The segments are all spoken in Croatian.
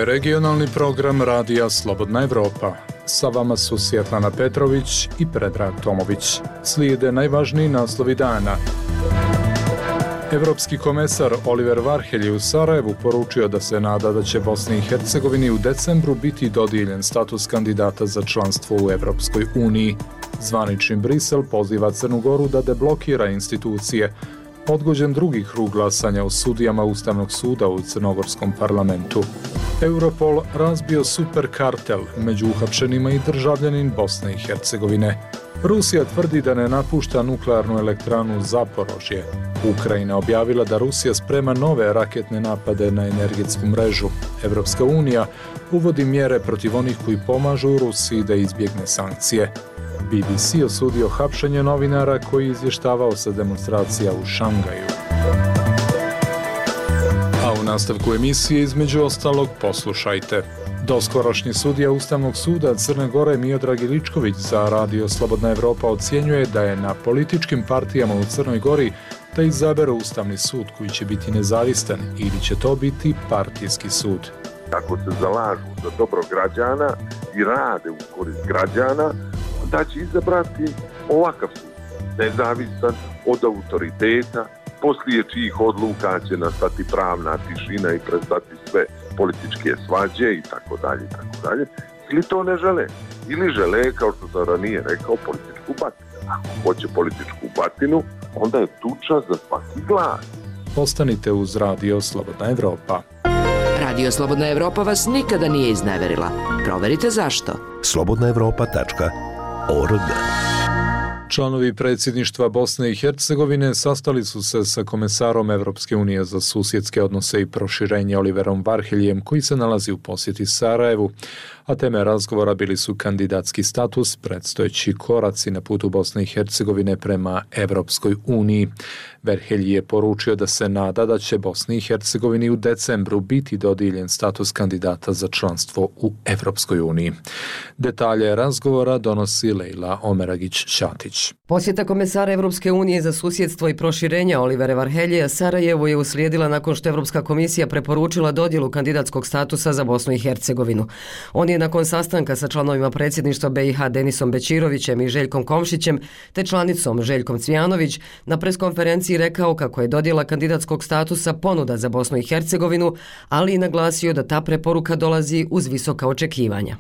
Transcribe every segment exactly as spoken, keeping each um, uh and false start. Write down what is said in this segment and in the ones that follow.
je regionalni program Radija Slobodna Evropa. Sa vama su Svjetlana Petrović i Predrag Tomović. Slijede najvažniji naslovi dana. Evropski komesar Oliver Varhelj je u Sarajevu poručio da se nada da će Bosni i Hercegovini u decembru biti dodijeljen status kandidata za članstvo u Evropskoj uniji. Zvanični Brisel poziva Crnu Goru da deblokira institucije. Odgođen drugi krug glasanja o sudijama Ustavnog suda u Crnogorskom parlamentu. Europol razbio superkartel među uhapšenima i državljanin Bosne i Hercegovine. Rusija tvrdi da ne napušta nuklearnu elektranu Zaporožje. Ukrajina objavila da Rusija sprema nove raketne napade na energetsku mrežu. Evropska unija uvodi mjere protiv onih koji pomažu Rusiji da izbjegne sankcije. B B C osudio hapšenje novinara koji je izvještavao sa demonstracija u Šangaju. A u nastavku emisije između ostalog poslušajte. Doskorošnji sudija Ustavnog suda Crne Gore Miodrag Iličković za Radio Slobodna Evropa ocjenjuje da je na političkim partijama u Crnoj Gori da izaberu Ustavni sud koji će biti nezavistan ili će to biti partijski sud. Ako se zalažu za dobro građana i rade u korist građana, da će izabrati ovakav sud, nezavisan od autoriteta, poslije čijih odluka će nastati pravna tišina i prestati sve političke svađe i tako dalje, i tako dalje. Ili to ne žele, ili žele, kao što sam ranije rekao, političku batinu. Ako hoće političku batinu, onda je tuča za svaki glas. Ostanite uz Radio Slobodna Evropa. Radio Slobodna Evropa vas nikada nije izneverila. Proverite zašto. slobodna evropa tačka org. Članovi predsjedništva Bosne i Hercegovine sastali su se sa komesarom Evropske unije za susjedske odnose i proširenje Oliverom Varheljem, koji se nalazi u posjeti Sarajevu, a teme razgovora bili su kandidatski status, predstojeći koraci na putu Bosne i Hercegovine prema Evropskoj uniji. Varhelj je poručio da se nada da će Bosni i Hercegovini u decembru biti dodijeljen status kandidata za članstvo u Evropskoj uniji. Detalje razgovora donosi Lejla Omeragić-Ćatić. Posjeta komesara Evropske unije za susjedstvo i proširenja Olivera Varhelja Sarajevu je uslijedila nakon što Evropska komisija preporučila dodjelu kandidatskog statusa za Bosnu i Hercegovinu. On je nakon sastanka sa članovima predsjedništva B i H Denisom Bećirovićem i Željkom Komšićem te članicom Željkom Cvijanović na preskonferenciji rekao kako je dodjela kandidatskog statusa ponuda za Bosnu i Hercegovinu, ali i naglasio da ta preporuka dolazi uz visoka očekivanja.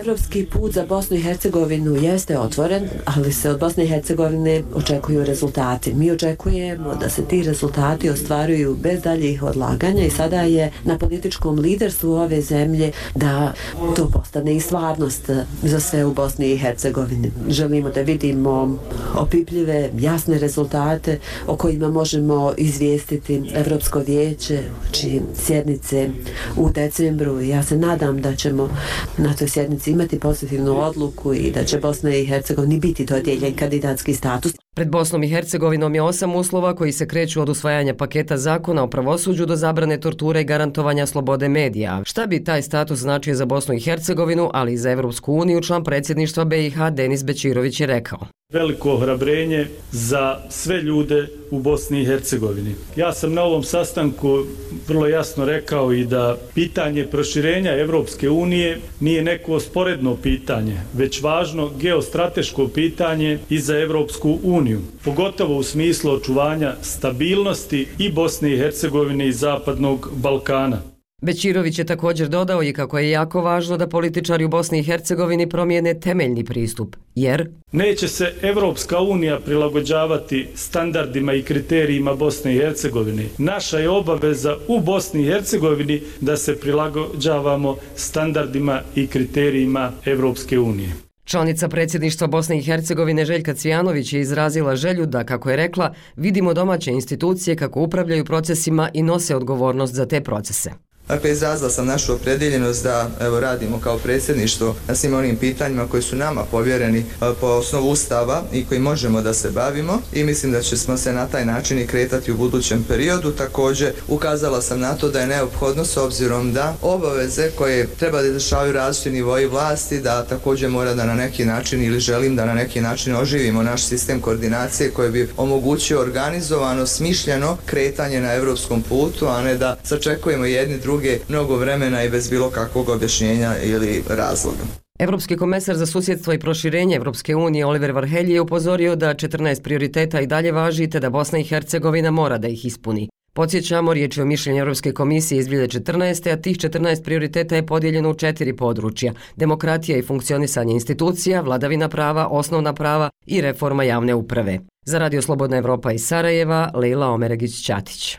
Evropski put za Bosnu i Hercegovinu jeste otvoren, ali se od Bosne i Hercegovine očekuju rezultati. Mi očekujemo da se ti rezultati ostvaruju bez daljih odlaganja i sada je na političkom liderstvu ove zemlje da to postane i stvarnost za sve u Bosni i Hercegovini. Želimo da vidimo opipljive, jasne rezultate o kojima možemo izvijestiti Evropsko vijeće, čije sjednice u decembru. Ja se nadam da ćemo na toj sjednici imati pozitivnu odluku i da će Bosna i Hercegovini biti dodijeljen kandidatski status. Pred Bosnom i Hercegovinom je osam uslova koji se kreću od usvajanja paketa zakona o pravosuđu do zabrane torture i garantovanja slobode medija. Šta bi taj status značio za Bosnu i Hercegovinu, ali i za Evropsku uniju, član predsjedništva B i H Denis Bećirović je rekao. Veliko ohrabrenje za sve ljude u Bosni i Hercegovini. Ja sam na ovom sastanku vrlo jasno rekao i da pitanje proširenja Evropske unije nije neko sporedno pitanje, već važno geostrateško pitanje i za Evropsku uniju, pogotovo u smislu očuvanja stabilnosti i Bosne i Hercegovine i Zapadnog Balkana. Bećirović je također dodao i kako je jako važno da političari u Bosni i Hercegovini promijene temeljni pristup, jer neće se Evropska unija prilagođavati standardima i kriterijima Bosne i Hercegovine. Naša je obaveza u Bosni i Hercegovini da se prilagođavamo standardima i kriterijima Evropske unije. Članica predsjedništva Bosne i Hercegovine Željka Cvijanović je izrazila želju da, kako je rekla, vidimo domaće institucije kako upravljaju procesima i nose odgovornost za te procese. Dakle, izrazila sam našu opredjeljenost da evo, radimo kao predsjedništvo na svim onim pitanjima koji su nama povjereni po osnovu Ustava i koji možemo da se bavimo i mislim da ćemo se na taj način i kretati u budućem periodu. Također, ukazala sam na to da je neophodno s obzirom da obaveze koje treba da izvršavaju različiti nivoji vlasti, da također mora da na neki način ili želim da na neki način oživimo naš sistem koordinacije koji bi omogućio organizovano, smišljeno kretanje na evropskom putu, a ne da sačekujemo jedni drugi druge mnogo vremena i bez bilo kakvog objašnjenja ili razloga. Evropski komesar za susjedstvo i proširenje Evropske unije Oliver Varhelji je upozorio da četrnaest prioriteta i dalje važi te da Bosna i Hercegovina mora da ih ispuni. Podsjećamo, riječ je o mišljenju Europske komisije iz dvije hiljade četrnaeste. a tih četrnaest prioriteta je podijeljeno u četiri područja: demokratija i funkcionisanje institucija, vladavina prava, osnovna prava i reforma javne uprave. Za Radio Slobodna Evropa iz Sarajeva, Lejla Omeregić-Ćatić.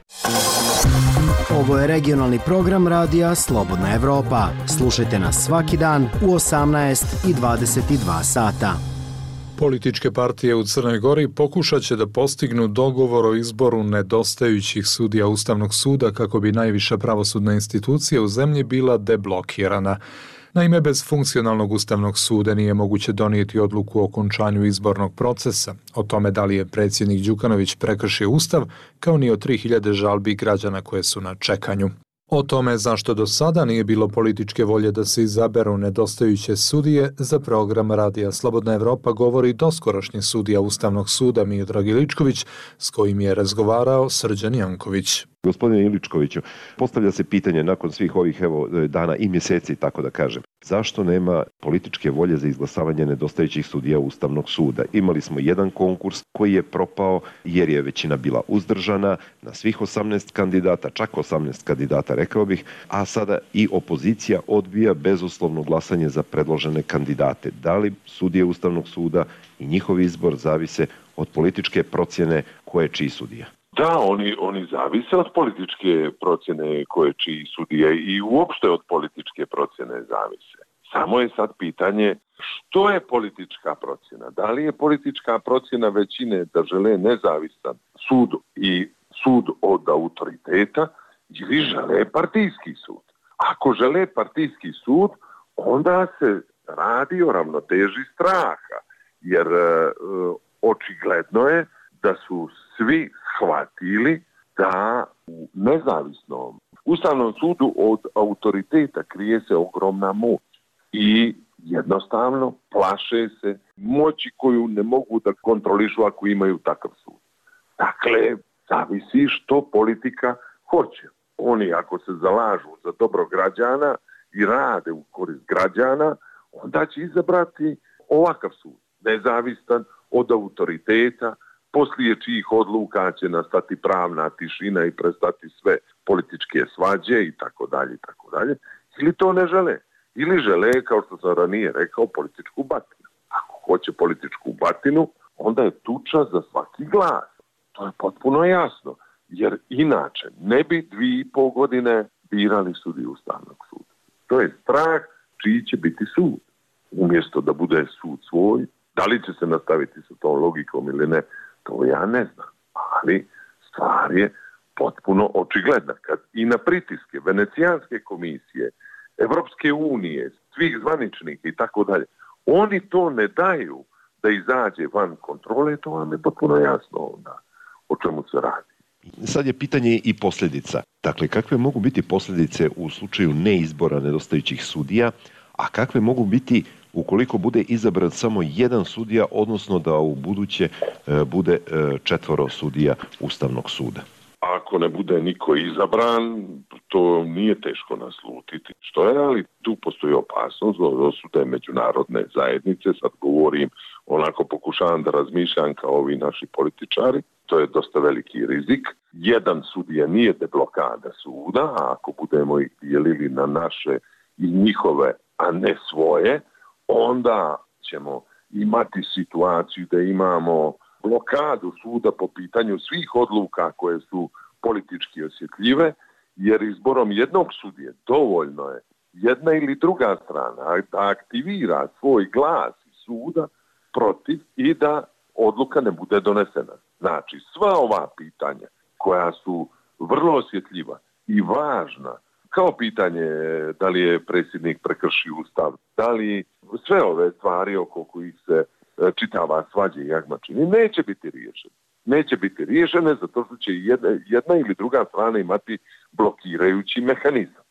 Ovo je regionalni program radija Slobodna Evropa. Slušajte nas svaki dan u osamnaest i dvadeset dva sata. Političke partije u Crnoj Gori pokušat će da postignu dogovor o izboru nedostajućih sudija Ustavnog suda kako bi najviša pravosudna institucija u zemlji bila deblokirana. Naime, bez funkcionalnog Ustavnog suda nije moguće donijeti odluku o okončanju izbornog procesa, o tome da li je predsjednik Đukanović prekršio Ustav, kao ni o tri hiljade žalbi građana koje su na čekanju. O tome zašto do sada nije bilo političke volje da se izaberu nedostajuće sudije, za program Radija Slobodna Evropa govori doskorašnji sudija Ustavnog suda Miodrag Iličković, s kojim je razgovarao Srđan Janković. Gospodine Iličkoviću, postavlja se pitanje nakon svih ovih evo, dana i mjeseci, tako da kažem, zašto nema političke volje za izglasavanje nedostajućih sudija Ustavnog suda? Imali smo jedan konkurs koji je propao jer je većina bila uzdržana na svih osamnaest kandidata, čak osamnaest kandidata rekao bih, a sada i opozicija odbija bezuslovno glasanje za predložene kandidate. Da li sudije Ustavnog suda i njihov izbor zavise od političke procjene ko je čiji sudija? Da, oni, oni zavise od političke procjene koje čiji sudije i uopšte od političke procjene zavise. Samo je sad pitanje što je politička procjena. Da li je politička procjena većine da žele nezavisan sud i sud od autoriteta ili žele partijski sud. Ako žele partijski sud, onda se radi o ravnoteži straha, jer e, očigledno je da su svi shvatili da u nezavisnom Ustavnom sudu od autoriteta krije se ogromna moć i jednostavno plaše se moći koju ne mogu da kontrolišu ako imaju takav sud. Dakle, zavisi što politika hoće. Oni ako se zalažu za dobro građana i rade u korist građana, onda će izabrati ovakav sud, nezavistan od autoriteta, poslije čijih odluka će nastati pravna tišina i prestati sve političke svađe i tako dalje i tako dalje. Ili to ne žele. Ili žele, kao što sam ranije rekao, političku batinu. Ako hoće političku batinu, onda je tuča za svaki glas. To je potpuno jasno. Jer inače ne bi dvije i pol godine birali sudiju Ustavnog suda. To je strah čiji će biti sud. Umjesto da bude sud svoj, da li će se nastaviti sa tom logikom ili ne, to ja ne znam. Ali stvar je potpuno očigledna. Kad i na pritiske Venecijanske komisije, Evropske unije, svih zvaničnih i tako dalje, oni to ne daju da izađe van kontrole, to vam je potpuno jasno onda o čemu se radi. Sad je pitanje i posljedica. Dakle, kakve mogu biti posljedice u slučaju neizbora nedostajućih sudija, a kakve mogu biti ukoliko bude izabran samo jedan sudija, odnosno da u buduće e, bude e, četvoro sudija Ustavnog suda? Ako ne bude niko izabran, to nije teško naslutiti. Što je, ali tu postoji opasnost od osude međunarodne zajednice. Sad govorim, onako pokušavam da razmišljam kao ovi naši političari. To je dosta veliki rizik. Jedan sudija nije deblokada suda, a ako budemo ih dijelili na naše i njihove, a ne svoje, onda ćemo imati situaciju da imamo blokadu suda po pitanju svih odluka koje su politički osjetljive, jer izborom jednog sudije dovoljno je jedna ili druga strana da aktivira svoj glas iz suda protiv i da odluka ne bude donesena. Znači, sva ova pitanja koja su vrlo osjetljiva i važna, kao pitanje da li je predsjednik prekršio Ustav, da li sve ove stvari oko kojih se čitava svađa i jagmačini, neće biti riješene. Neće biti riješene zato što će jedna, jedna ili druga strana imati blokirajući mehanizam.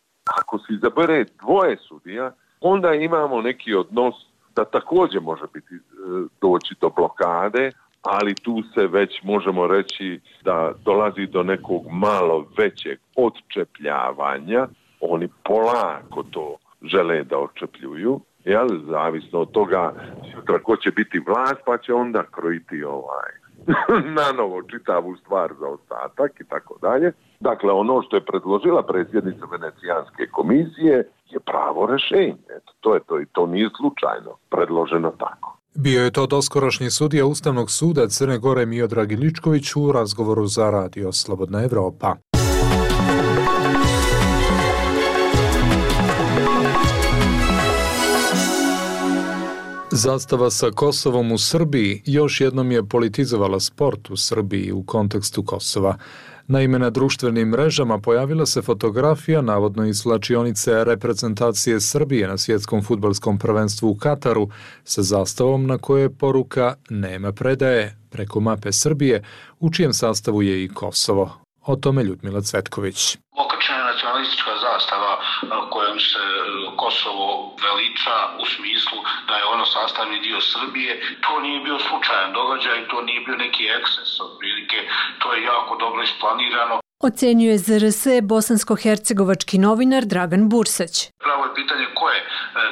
Ako se izabere dvoje sudija, onda imamo neki odnos da također može biti doći do blokade, ali tu se već možemo reći da dolazi do nekog malo većeg odčepljavanja oni polako to žele da očepljuju, jel, zavisno od toga sutra ko će biti vlast, pa će onda krojiti ovaj na novo čitavu stvar za ostatak i tako dalje. Dakle, ono što je predložila predsjednica Venecijanske komisije je pravo rješenje. Eto, to je to i to nije slučajno predloženo tako. Bio je to doskorašnji sudija Ustavnog suda Crne Gore Miodrag Iličković u razgovoru za Radio Slobodna Evropa. Zastava sa Kosovom u Srbiji još jednom je politizovala sport u Srbiji u kontekstu Kosova. Naime, na društvenim mrežama pojavila se fotografija navodno iz slačionice reprezentacije Srbije na svjetskom fudbalskom prvenstvu u Kataru sa zastavom na kojoj je poruka "Nema predaje" preko mape Srbije, u čijem sastavu je i Kosovo. O tome Ljudmila Cvetković. Okačena je nacionalistička zastava kojom se Kosovo veliča u smislu da je ono sastavni dio Srbije. To nije bio slučajan događaj, to nije bio neki eksces, otprilike, to je jako dobro isplanirano. Ocenjuje Z R S bosansko-hercegovački novinar Dragan Bursać. Pravo je pitanje ko je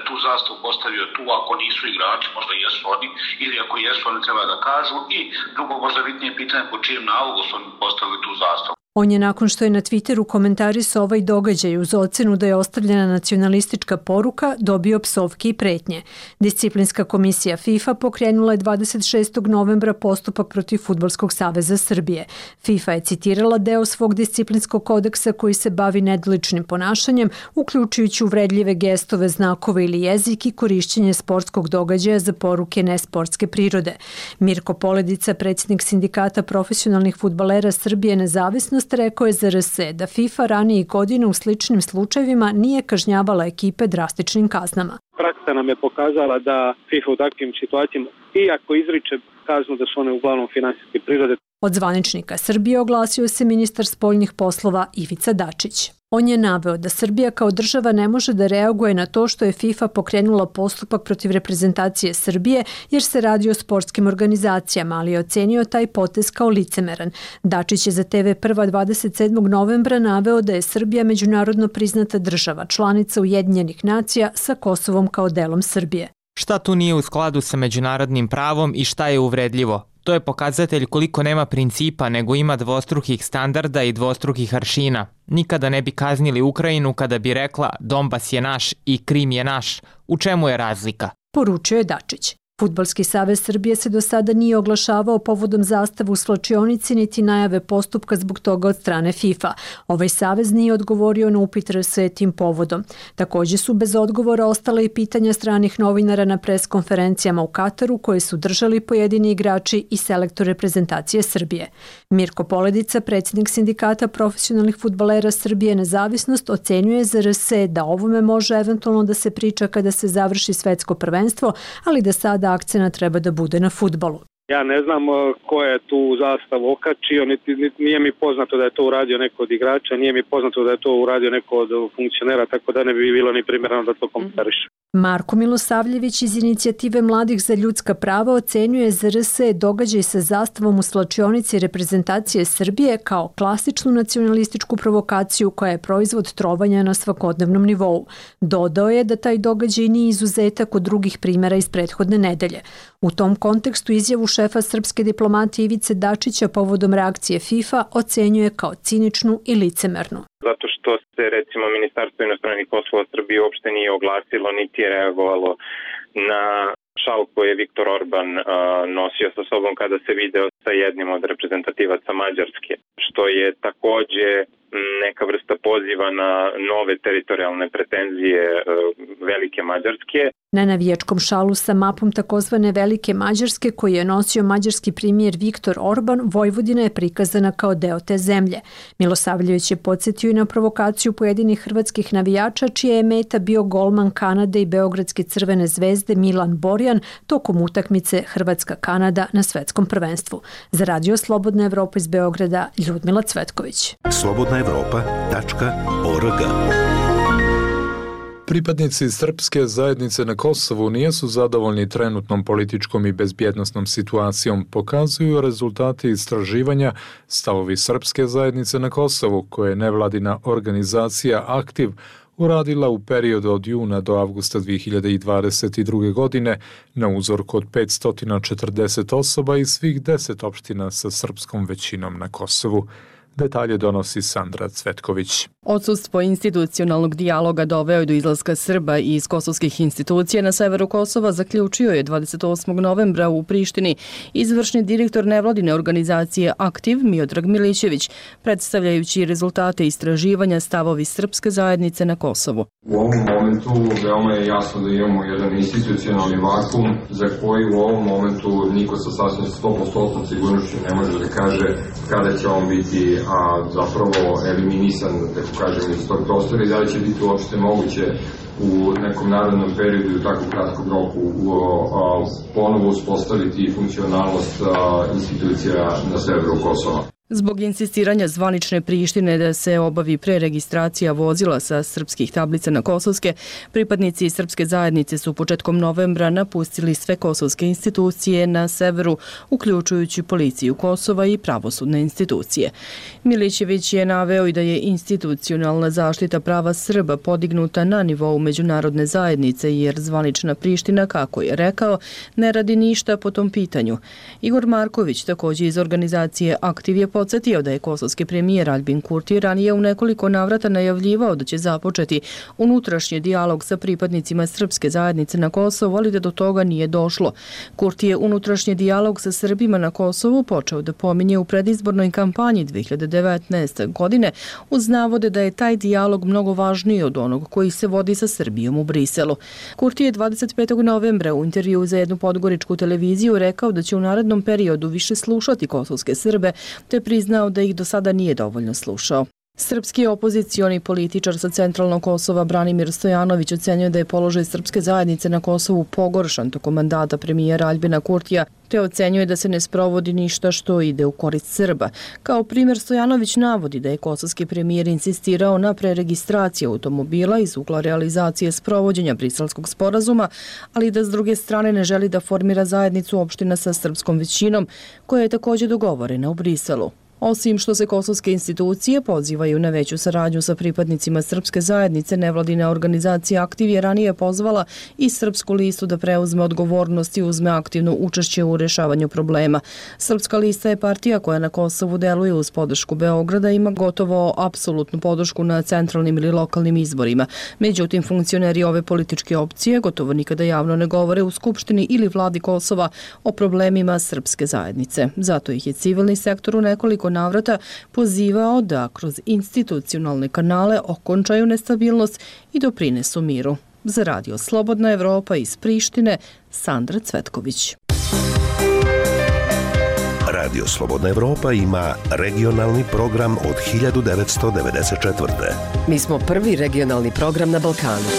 tu zastavu postavio tu, ako nisu igrači, možda jesu oni, ili ako jesu, oni treba da kažu, i drugo možda bitnije pitanje po čijem nalogu su oni postavili tu zastavu. On je nakon što je na Twitteru komentarisao ovaj događaj uz ocenu da je ostavljena nacionalistička poruka, dobio psovke i pretnje. Disciplinska komisija FIFA pokrenula je dvadeset šestog novembra postupak protiv Fudbalskog saveza Srbije. FIFA je citirala deo svog disciplinskog kodeksa koji se bavi nedoličnim ponašanjem, uključujući uvredljive gestove, znakove ili jezik i korišćenje sportskog događaja za poruke nesportske prirode. Mirko Poledica, predsjednik sindikata profesionalnih fudbalera Srbije Nezavisnost, rekao je Z R S da FIFA ranijih godina u sličnim slučajevima nije kažnjavala ekipe drastičnim kaznama. Praksa nam je pokazala da FIFA u takvim situacijama, iako izriče kaznu, da su one uglavnom finansijske prirode. Od zvaničnika Srbije oglasio se ministar spoljnih poslova Ivica Dačić. On je naveo da Srbija kao država ne može da reaguje na to što je FIFA pokrenula postupak protiv reprezentacije Srbije jer se radi o sportskim organizacijama, ali je ocenio taj potez kao licemeran. Dačić je za T V Prva dvadeset sedmog novembra naveo da je Srbija međunarodno priznata država, članica Ujedinjenih nacija sa Kosovom kao delom Srbije. Šta tu nije u skladu sa međunarodnim pravom i šta je uvredljivo? To je pokazatelj koliko nema principa, nego ima dvostrukih standarda i dvostrukih aršina. Nikada ne bi kaznili Ukrajinu kada bi rekla Donbas je naš i Krim je naš. U čemu je razlika? Poručio je Dačić. Fudbalski savez Srbije se do sada nije oglašavao povodom zastave u svlačionici niti najave postupka zbog toga od strane FIFA. Ovaj savez nije odgovorio na upit R S tim povodom. Također su bez odgovora ostala i pitanja stranih novinara na pres konferencijama u Kataru koje su držali pojedini igrači i selektor reprezentacije Srbije. Mirko Poledica, predsjednik sindikata profesionalnih fudbalera Srbije Nezavisnost, ocenjuje za R S da ovome može eventualno da se priča kada se završi svetsko prvenstvo, ali da sada akcena treba da bude na fudbalu. Ja ne znam ko je tu zastavu okačio, niti, niti, nije mi poznato da je to uradio neko od igrača, nije mi poznato da je to uradio neko od funkcionera, tako da ne bi bilo ni primjereno da to komentariše. Marko Milosavljević iz Inicijative mladih za ljudska prava ocenjuje za R S događaj sa zastavom u svlačionici reprezentacije Srbije kao klasičnu nacionalističku provokaciju koja je proizvod trovanja na svakodnevnom nivou. Dodao je da taj događaj nije izuzetak od drugih primjera iz prethodne nedelje. U tom kontekstu izjavu šefa srpske diplomatije Ivice Dačića povodom reakcije FIFA ocenjuje kao ciničnu i licemernu. Zato što se recimo Ministarstvo inostranih poslova Srbije uopšte nije oglasilo niti je reagovalo na šal koji je Viktor Orban uh, nosio sa sobom kada se video sa jednim od reprezentativaca Mađarske, što je takođe neka vrsta poziva na nove teritorijalne pretenzije uh, Velike Mađarske. Na navijačkom šalu sa mapom takozvane Velike Mađarske koji je nosio mađarski premijer Viktor Orban, Vojvodina je prikazana kao deo te zemlje. Milosavljević je podsjetio i na provokaciju pojedinih hrvatskih navijača čija je meta bio golman Kanade i Beogradske Crvene zvezde Milan Borjan tokom utakmice Hrvatska-Kanada na svetskom prvenstvu. Za Radio Slobodna Evropa iz Beograda, Ljudmila Cvetković. slobodna evropa tačka org. Pripadnici srpske zajednice na Kosovu nisu zadovoljni trenutnom političkom i bezbjednosnom situacijom, pokazuju rezultati istraživanja Stavovi srpske zajednice na Kosovu, koje je nevladina organizacija Aktiv uradila u periodu od juna do avgusta dvije hiljade dvadeset druge. godine na uzorku od petsto četrdeset osoba iz svih deset opština sa srpskom većinom na Kosovu. Detalje donosi Sandra Cvetković. Odsustvo institucionalnog dijaloga doveo je do izlaska Srba iz kosovskih institucija na severu Kosova, zaključio je dvadeset osmog novembra u Prištini izvršni direktor nevladine organizacije Aktiv Miodrag Milićević, predstavljajući rezultate istraživanja stavovi srpske zajednice na Kosovu. U ovom momentu veoma je jasno da imamo jedan institucionalni vakum za koji u ovom momentu niko sa sasvim sto posto sigurnošću ne može da kaže kada će on biti a zapravo eliminisan, tako kažem, iz tog prostora i da li će biti uopšte moguće u nekom narodnom periodu i u tako kratkom roku ponovo uspostaviti funkcionalnost institucija na severu Kosova. Zbog insistiranja zvanične Prištine da se obavi preregistracija vozila sa srpskih tablica na kosovske, pripadnici srpske zajednice su početkom novembra napustili sve kosovske institucije na severu, uključujući policiju Kosova i pravosudne institucije. Milićević je naveo i da je institucionalna zaštita prava Srba podignuta na nivou međunarodne zajednice, jer zvanična Priština, kako je rekao, ne radi ništa po tom pitanju. Igor Marković, također iz organizacije Aktiv, je podsjetio da je kosovski premijer Albin Kurti ranije u nekoliko navrata najavljivao da će započeti unutrašnji dijalog sa pripadnicima srpske zajednice na Kosovu, ali da do toga nije došlo. Kurti je unutrašnji dijalog sa Srbima na Kosovu počeo da pominje u predizbornoj kampanji dvije hiljade devetnaeste. godine uz navode da je taj dijalog mnogo važniji od onog koji se vodi sa Srbijom u Briselu. Kurti je dvadeset petog novembra u intervju za jednu podgoričku televiziju rekao da će u narednom periodu više slušati kosovske Srbe, te priznao da ih do sada nije dovoljno slušao. Srpski opozicioni političar sa centralnog Kosova Branimir Stojanović ocenjuje da je položaj srpske zajednice na Kosovu pogoršan tokom mandata premijera Albina Kurtija, te ocenjuje da se ne sprovodi ništa što ide u korist Srba. Kao primjer Stojanović navodi da je kosovski premijer insistirao na preregistraciji automobila iz ugla realizacije sprovođenja Briselskog sporazuma, ali da s druge strane ne želi da formira zajednicu opština sa srpskom većinom, koja je također dogovorena u Briselu. Osim što se kosovske institucije pozivaju na veću saradnju sa pripadnicima srpske zajednice, nevladina organizacija Aktiv je ranije pozvala i Srpsku listu da preuzme odgovornost i uzme aktivno učešće u rešavanju problema. Srpska lista je partija koja na Kosovu deluje uz podršku Beograda i ima gotovo apsolutnu podršku na centralnim ili lokalnim izborima. Međutim, funkcioneri ove političke opcije gotovo nikada javno ne govore u Skupštini ili vladi Kosova o problemima srpske zajednice. Zato ih je civilni sektor u nekoliko navrata pozivao da kroz institucionalne kanale okončaju nestabilnost i doprinesu miru. Za radio Slobodna Evropa iz Prištine, Sandra Cvetković. Radio Slobodna Evropa ima regionalni program od hiljadu devetsto devedeset četvrte. Mi smo prvi regionalni program na Balkanu.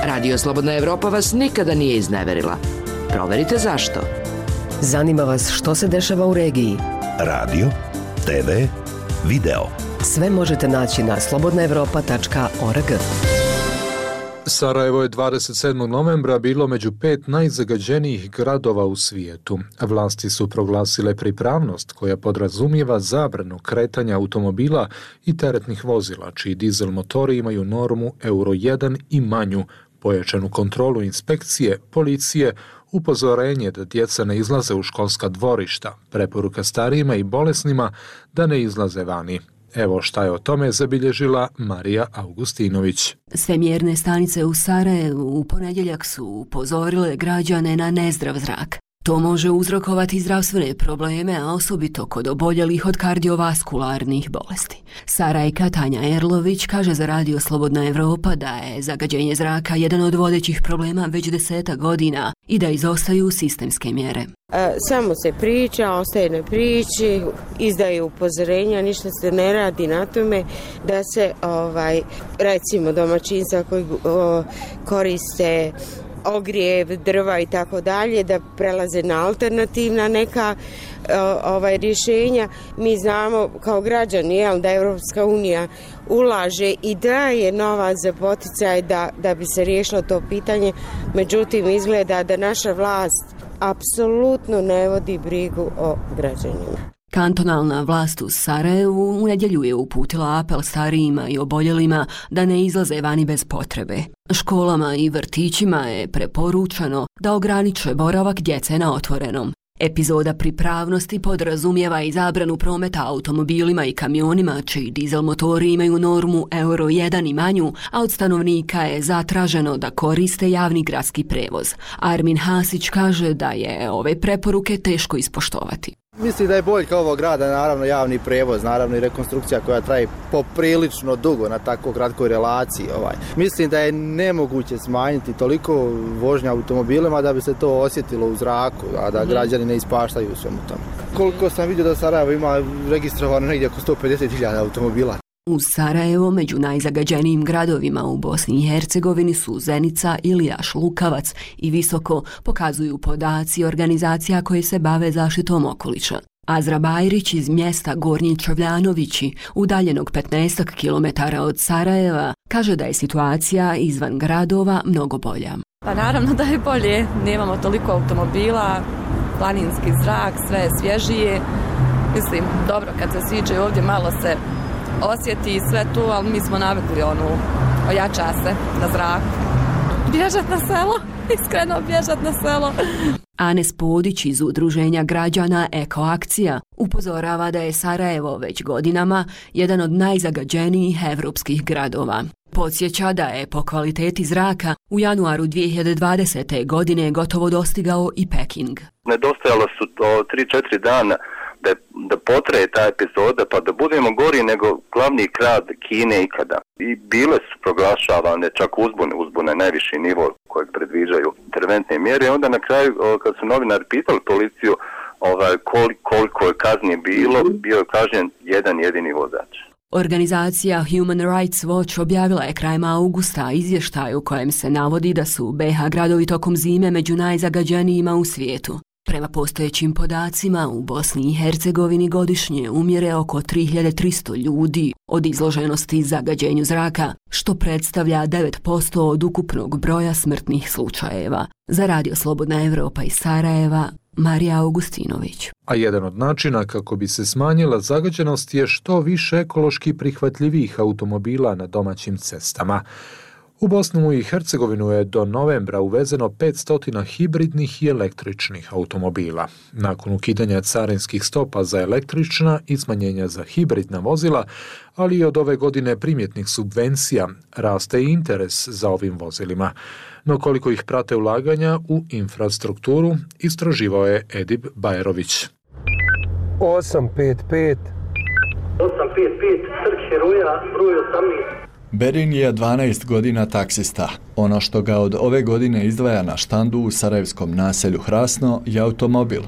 Radio Slobodna Evropa vas nikada nije izneverila. Proverite zašto. Zanima vas što se dešava u regiji? Radio, te ve, video. Sve možete naći na slobodna evropa tačka org. Sarajevo je dvadeset sedmog novembra bilo među pet najzagađenijih gradova u svijetu. Vlasti su proglasile pripravnost koja podrazumijeva zabranu kretanja automobila i teretnih vozila, čiji dizel motori imaju normu Euro jedan i manju, pojačanu kontrolu inspekcije, policije, upozorenje da djeca ne izlaze u školska dvorišta, preporuka starijima i bolesnima da ne izlaze vani. Evo šta je o tome zabilježila Marija Augustinović. Sve mjerne stanice u Sarajevu u ponedjeljak su upozorile građane na nezdrav zrak. To može uzrokovati zdravstvene probleme, a osobito kod oboljelih od kardiovaskularnih bolesti. Sarajka Tanja Erlović kaže za radio Slobodna Evropa da je zagađenje zraka jedan od vodećih problema već deseta godina i da izostaju sistemske mjere. Samo se priča, ostaje na priči, izdaje upozorenja, ništa se ne radi na tome da se ovaj, recimo domaćinstva koji o, koriste ogrijev, drva i tako dalje, da prelaze na alternativna neka ovaj rješenja. Mi znamo kao građani jel, da Europska unija ulaže i daje novac za poticaj da, da bi se riješilo to pitanje, međutim izgleda da naša vlast apsolutno ne vodi brigu o građanima. Kantonalna vlast u Sarajevu u nedjelju je uputila apel starijima i oboljelima da ne izlaze vani bez potrebe. Školama i vrtićima je preporučeno da ograniče boravak djece na otvorenom. Epizoda pripravnosti podrazumijeva i zabranu prometa automobilima i kamionima čiji dizel motori imaju normu euro jedan i manju, a od stanovnika je zatraženo da koriste javni gradski prevoz. Armin Hasić kaže da je ove preporuke teško ispoštovati. Mislim da je boljka ovog grada, naravno javni prevoz, naravno i rekonstrukcija koja traje poprilično dugo na tako kratkoj relaciji. Ovaj. Mislim da je nemoguće smanjiti toliko vožnja automobilima da bi se to osjetilo u zraku, a da građani ne ispaštaju u svemu tome. Koliko sam vidio da Sarajevo ima registrovano negdje oko sto pedeset hiljada automobila. U Sarajevo među najzagađenijim gradovima u Bosni i Hercegovini su Zenica, Ilijaš, Lukavac i Visoko, pokazuju podaci organizacija koje se bave zaštitom okoliša. Azra Bajrić iz mjesta Gornji Čovljanovići, udaljenog petnaest kilometara od Sarajeva, kaže da je situacija izvan gradova mnogo bolja. Pa naravno da je bolje, nemamo toliko automobila, planinski zrak, sve je svježije. Mislim, dobro, kad se siđe ovdje malo se osjeti sve tu, ali mi smo navikli onu, ojača se na zraku. Bježat na selo, iskreno bježat na selo. Anes Podić iz udruženja građana Ekoakcija upozorava da je Sarajevo već godinama jedan od najzagađenijih evropskih gradova. Podsjeća da je po kvaliteti zraka u januaru dvije hiljade dvadesete. godine gotovo dostigao i Peking. Nedostajalo su to tri četiri dana da, da potraje ta epizoda pa da budemo gori nego glavni grad Kine ikada. I bile su proglašavane čak uzbune, uzbune najviši nivo kojeg predviđaju interventne mjere. Onda na kraju kad su novinari pitali policiju ovaj, koliko, koliko je kazni bilo, bio je kažnjen jedan jedini vozač. Organizacija Human Rights Watch objavila je krajem augusta izvještaj u kojem se navodi da su B iH gradovi tokom zime među najzagađenijima u svijetu. Prema postojećim podacima, u Bosni i Hercegovini godišnje umire oko tri hiljade tristo ljudi od izloženosti zagađenju zraka, što predstavlja devet posto od ukupnog broja smrtnih slučajeva. Za Radio Slobodna Evropa iz Sarajeva, Marija Augustinović. A jedan od načina kako bi se smanjila zagađenost je što više ekološki prihvatljivih automobila na domaćim cestama. U Bosnu i Hercegovinu je do novembra uvezeno petsto hibridnih i električnih automobila. Nakon ukidanja carinskih stopa za električna i smanjenja za hibridna vozila, ali i od ove godine primjetnih subvencija, raste i interes za ovim vozilima. No koliko ih prate ulaganja u infrastrukturu, istraživao je Edip Bajerović. osam pet pet osam pet pet Trg Heroja, broj osamnaest. Berin je dvanaest godina taksista. Ono što ga od ove godine izdvaja na štandu u sarajevskom naselju Hrasno je automobil.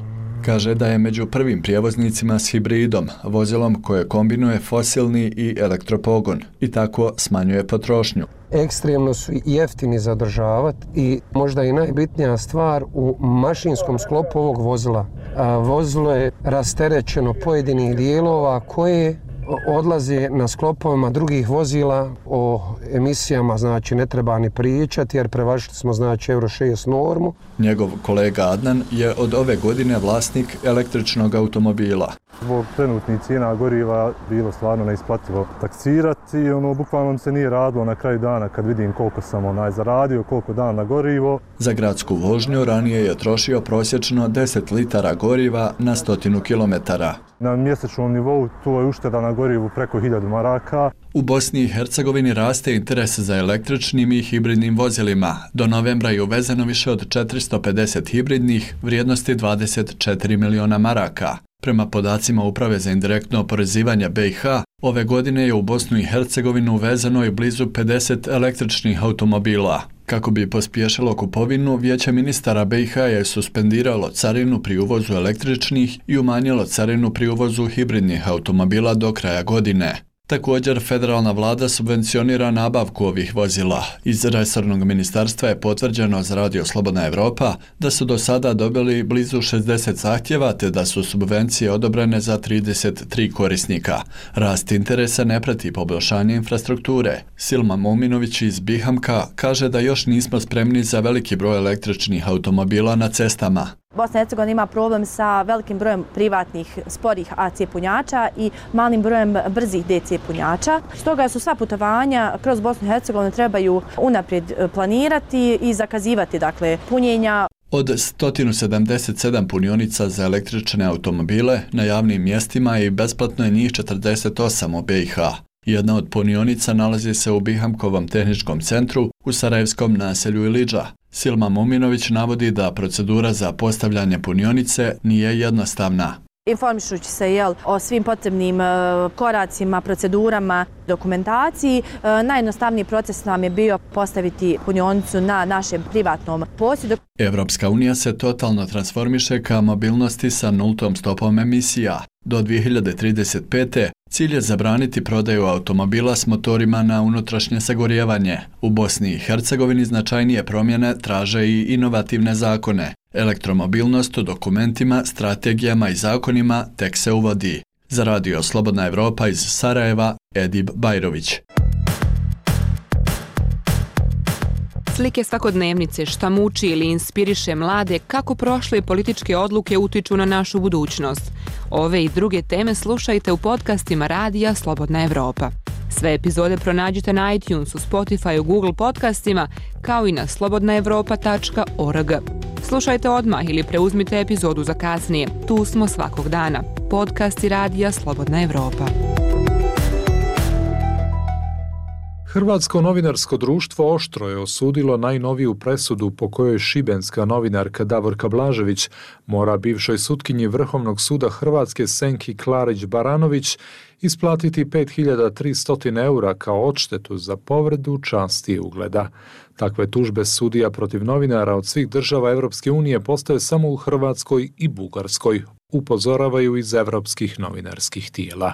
Kaže da je među prvim prijevoznicima s hibridom, vozilom koje kombinuje fosilni i elektropogon i tako smanjuje potrošnju. Ekstremno su jeftini za održavati i možda i najbitnija stvar u mašinskom sklopu ovog vozila. A vozilo je rasterećeno pojedinih dijelova koje odlaze na sklopovima drugih vozila. O emisijama znači ne treba ni pričati jer prevažili smo znači euro šest normu. Njegov kolega Adnan je od ove godine vlasnik električnog automobila. Zbog trenutnih cijena goriva bilo stvarno neisplativo taksirati i ono bukvalno se nije radilo na kraju dana kad vidim koliko sam onaj zaradio, koliko dana na gorivo. Za gradsku vožnju ranije je trošio prosječno deset litara goriva na stotinu kilometara. Na mjesečnom nivou to je ušteda na gorivu preko hiljadu maraka. U Bosni i Hercegovini raste interes za električnim i hibridnim vozilima. Do novembra je uvezeno više od četiristo pedeset hibridnih vrijednosti dvadeset četiri miliona maraka. Prema podacima Uprave za indirektno oporezivanje B iH, ove godine je u Bosnu i Hercegovinu uvezeno i blizu pedeset električnih automobila. Kako bi pospješilo kupovinu, Vijeće ministara B iH je suspendiralo carinu pri uvozu električnih i umanjilo carinu pri uvozu hibridnih automobila do kraja godine. Također, federalna vlada subvencionira nabavku ovih vozila. Iz resornog ministarstva je potvrđeno za Radio Slobodna Evropa da su do sada dobili blizu šezdeset zahtjeva te da su subvencije odobrene za trideset tri korisnika. Rast interesa ne prati poboljšanje infrastrukture. Silma Mominović iz Bihamka kaže da još nismo spremni za veliki broj električnih automobila na cestama. Bosna i Hercegovina ima problem sa velikim brojem privatnih sporih A C punjača i malim brojem brzih D C punjača. Stoga su sva putovanja kroz Bosnu i Hercegovinu trebaju unaprijed planirati i zakazivati dakle punjenja. Od sto sedamdeset sedam punionica za električne automobile na javnim mjestima i besplatno je njih četrdeset osam u B i H. Jedna od punionica nalazi se u Bihamkovom tehničkom centru u sarajevskom naselju Ilidža. Silma Muminović navodi da procedura za postavljanje punionice nije jednostavna. Informišući se jel, o svim potrebnim e, koracima, procedurama, dokumentaciji, e, najjednostavniji proces nam je bio postaviti punionicu na našem privatnom posjedu. Evropska unija se totalno transformiše ka mobilnosti sa nultom stopom emisija. Do dvije hiljade trideset pete. cilj je zabraniti prodaju automobila s motorima na unutrašnje sagorijevanje. U Bosni i Hercegovini značajnije promjene traže i inovativne zakone. Elektromobilnost u dokumentima, strategijama i zakonima tek se uvodi. Za radio Slobodna Evropa iz Sarajeva, Edib Bajrović. Slike svakodnevnice, šta muči ili inspiriše mlade, kako prošle političke odluke utiču na našu budućnost. Ove i druge teme slušajte u podcastima radija Slobodna Evropa. Sve epizode pronađite na iTunesu, Spotify, Google podcastima, kao i na slobodna evropa tačka org. Slušajte odmah ili preuzmite epizodu za kasnije. Tu smo svakog dana. Podcasti radija Slobodna Evropa. Hrvatsko novinarsko društvo oštro je osudilo najnoviju presudu po kojoj šibenska novinarka Davorka Blažević mora bivšoj sutkinji Vrhovnog suda Hrvatske Senki Klarić-Baranović isplatiti pet hiljada tristo eura kao odštetu za povredu časti i ugleda. Takve tužbe sudija protiv novinara od svih država Evropske unije postoje samo u Hrvatskoj i Bugarskoj, upozoravaju iz evropskih novinarskih tijela.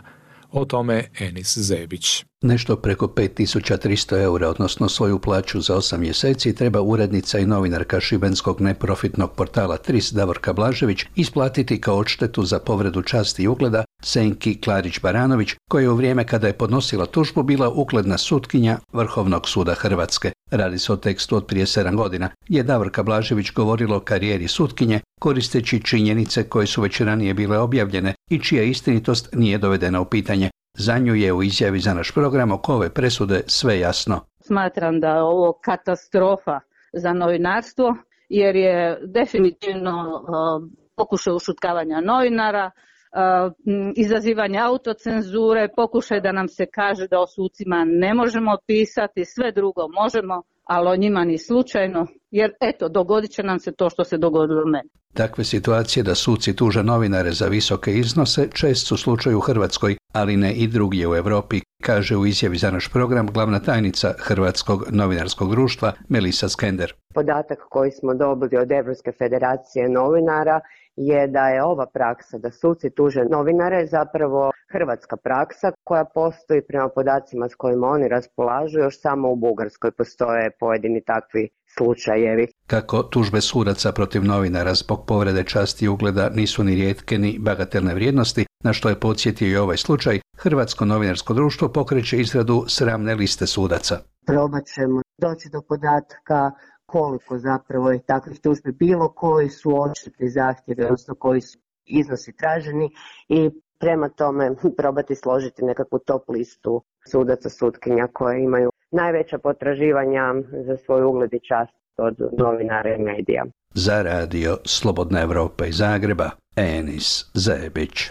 O tome Enis Zebić. Nešto preko pet tisuća tristo eura, odnosno svoju plaću za osam mjeseci, treba urednica i novinarka šibenskog neprofitnog portala Tris Davorka Blažević isplatiti kao odštetu za povredu časti i ugleda Senki Klarić-Baranović, koja je u vrijeme kada je podnosila tužbu bila ugledna sutkinja Vrhovnog suda Hrvatske. Radi se o tekstu od prije sedam godina, je Davorka Blažević govorila o karijeri sutkinje, koristeći činjenice koje su već ranije bile objavljene i čija istinitost nije dovedena u pitanje. Za nju je u izjavi za naš program oko ove presude sve jasno. Smatram da je ovo katastrofa za novinarstvo, jer je definitivno uh, pokušaj ušutkavanja novinara, uh, izazivanje autocenzure, pokušaj da nam se kaže da o sucima ne možemo pisati, sve drugo možemo, ali o njima ni slučajno, jer eto, dogodit će nam se to što se dogodilo meni. Takve situacije da suci tuže novinare za visoke iznose čest su slučaj u Hrvatskoj, ali ne i drugdje u Europi, kaže u izjavi za naš program glavna tajnica Hrvatskog novinarskog društva Melisa Skender. Podatak koji smo dobili od Europske federacije novinara je da je ova praksa da suci tuže novinare zapravo hrvatska praksa koja postoji prema podacima s kojima oni raspolažu, još samo u Bugarskoj postoje pojedini takvi slučajevi. Kako tužbe sudaca protiv novinara zbog povrede časti i ugleda nisu ni rijetke ni bagatelne vrijednosti, na što je podsjetio i ovaj slučaj, Hrvatsko novinarsko društvo pokreće izradu sramne liste sudaca. Probat ćemo doći do podatka koliko zapravo je takvih tužbi bilo, koji su odštetni zahtjevi, odnosno koji su iznosi traženi i prema tome probati složiti nekakvu top listu sudaca, sutkinja koje imaju najveća potraživanja za svoj ugled i čast od novinara i medija. Za radio Slobodna Evropa iz Zagreba, Enis Zebić.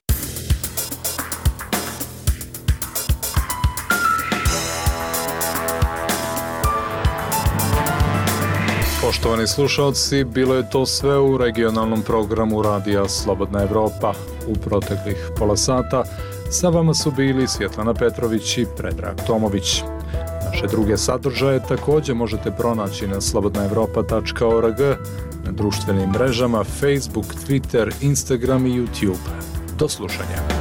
Poštovani slušalci, bilo je to sve u regionalnom programu radija Slobodna Evropa. U proteklih pola sata sa vama su bili Svjetlana Petrović i Predrag Tomović. Naše druge sadržaje također možete pronaći na slobodna evropa tačka org, na društvenim mrežama Facebook, Twitter, Instagram i YouTube. Do slušanja.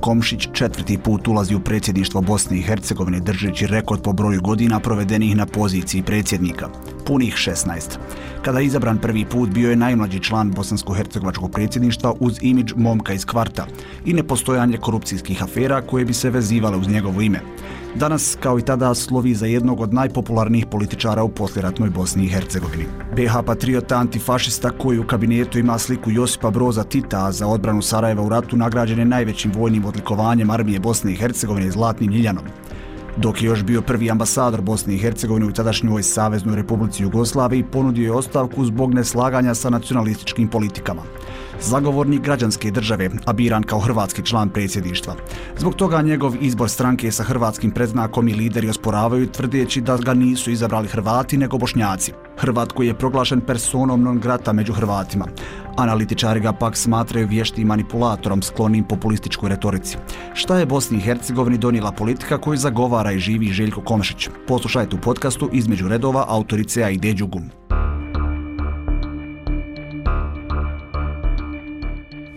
Komšić četvrti put ulazi u predsjedništvo Bosne i Hercegovine držeći rekord po broju godina provedenih na poziciji predsjednika, punih šesnaest. Kada je izabran prvi put, bio je najmlađi član bosansko-hercegovačkog predsjedništva uz imidž momka iz kvarta i nepostojanje korupcijskih afera koje bi se vezivale uz njegovo ime. Danas, kao i tada, slovi za jednog od najpopularnijih političara u poslijeratnoj Bosni i Hercegovini. be ha patriota, antifašista koji u kabinetu ima sliku Josipa Broza Tita, a za odbranu Sarajeva u ratu nagrađen je najvećim vojnim odlikovanjem armije Bosne i Hercegovine Zlatnim Ljiljanom. Dok je još bio prvi ambasador Bosne i Hercegovine u tadašnjoj Saveznoj Republici Jugoslaviji, ponudio je ostavku zbog neslaganja sa nacionalističkim politikama. Zagovornik građanske države, a biran kao hrvatski član predsjedništva. Zbog toga njegov izbor stranke sa hrvatskim predznakom i lideri osporavaju, tvrdeći da ga nisu izabrali Hrvati nego Bošnjaci. Hrvat koji je proglašen personom non grata među Hrvatima. Analitičari ga pak smatraju vještim manipulatorom sklonim populističkoj retorici. Šta je Bosni i Hercegovini donijela politika koju zagovara i živi Željko Komšić? Poslušajte u podcastu Između redova autorice Aide Đugum.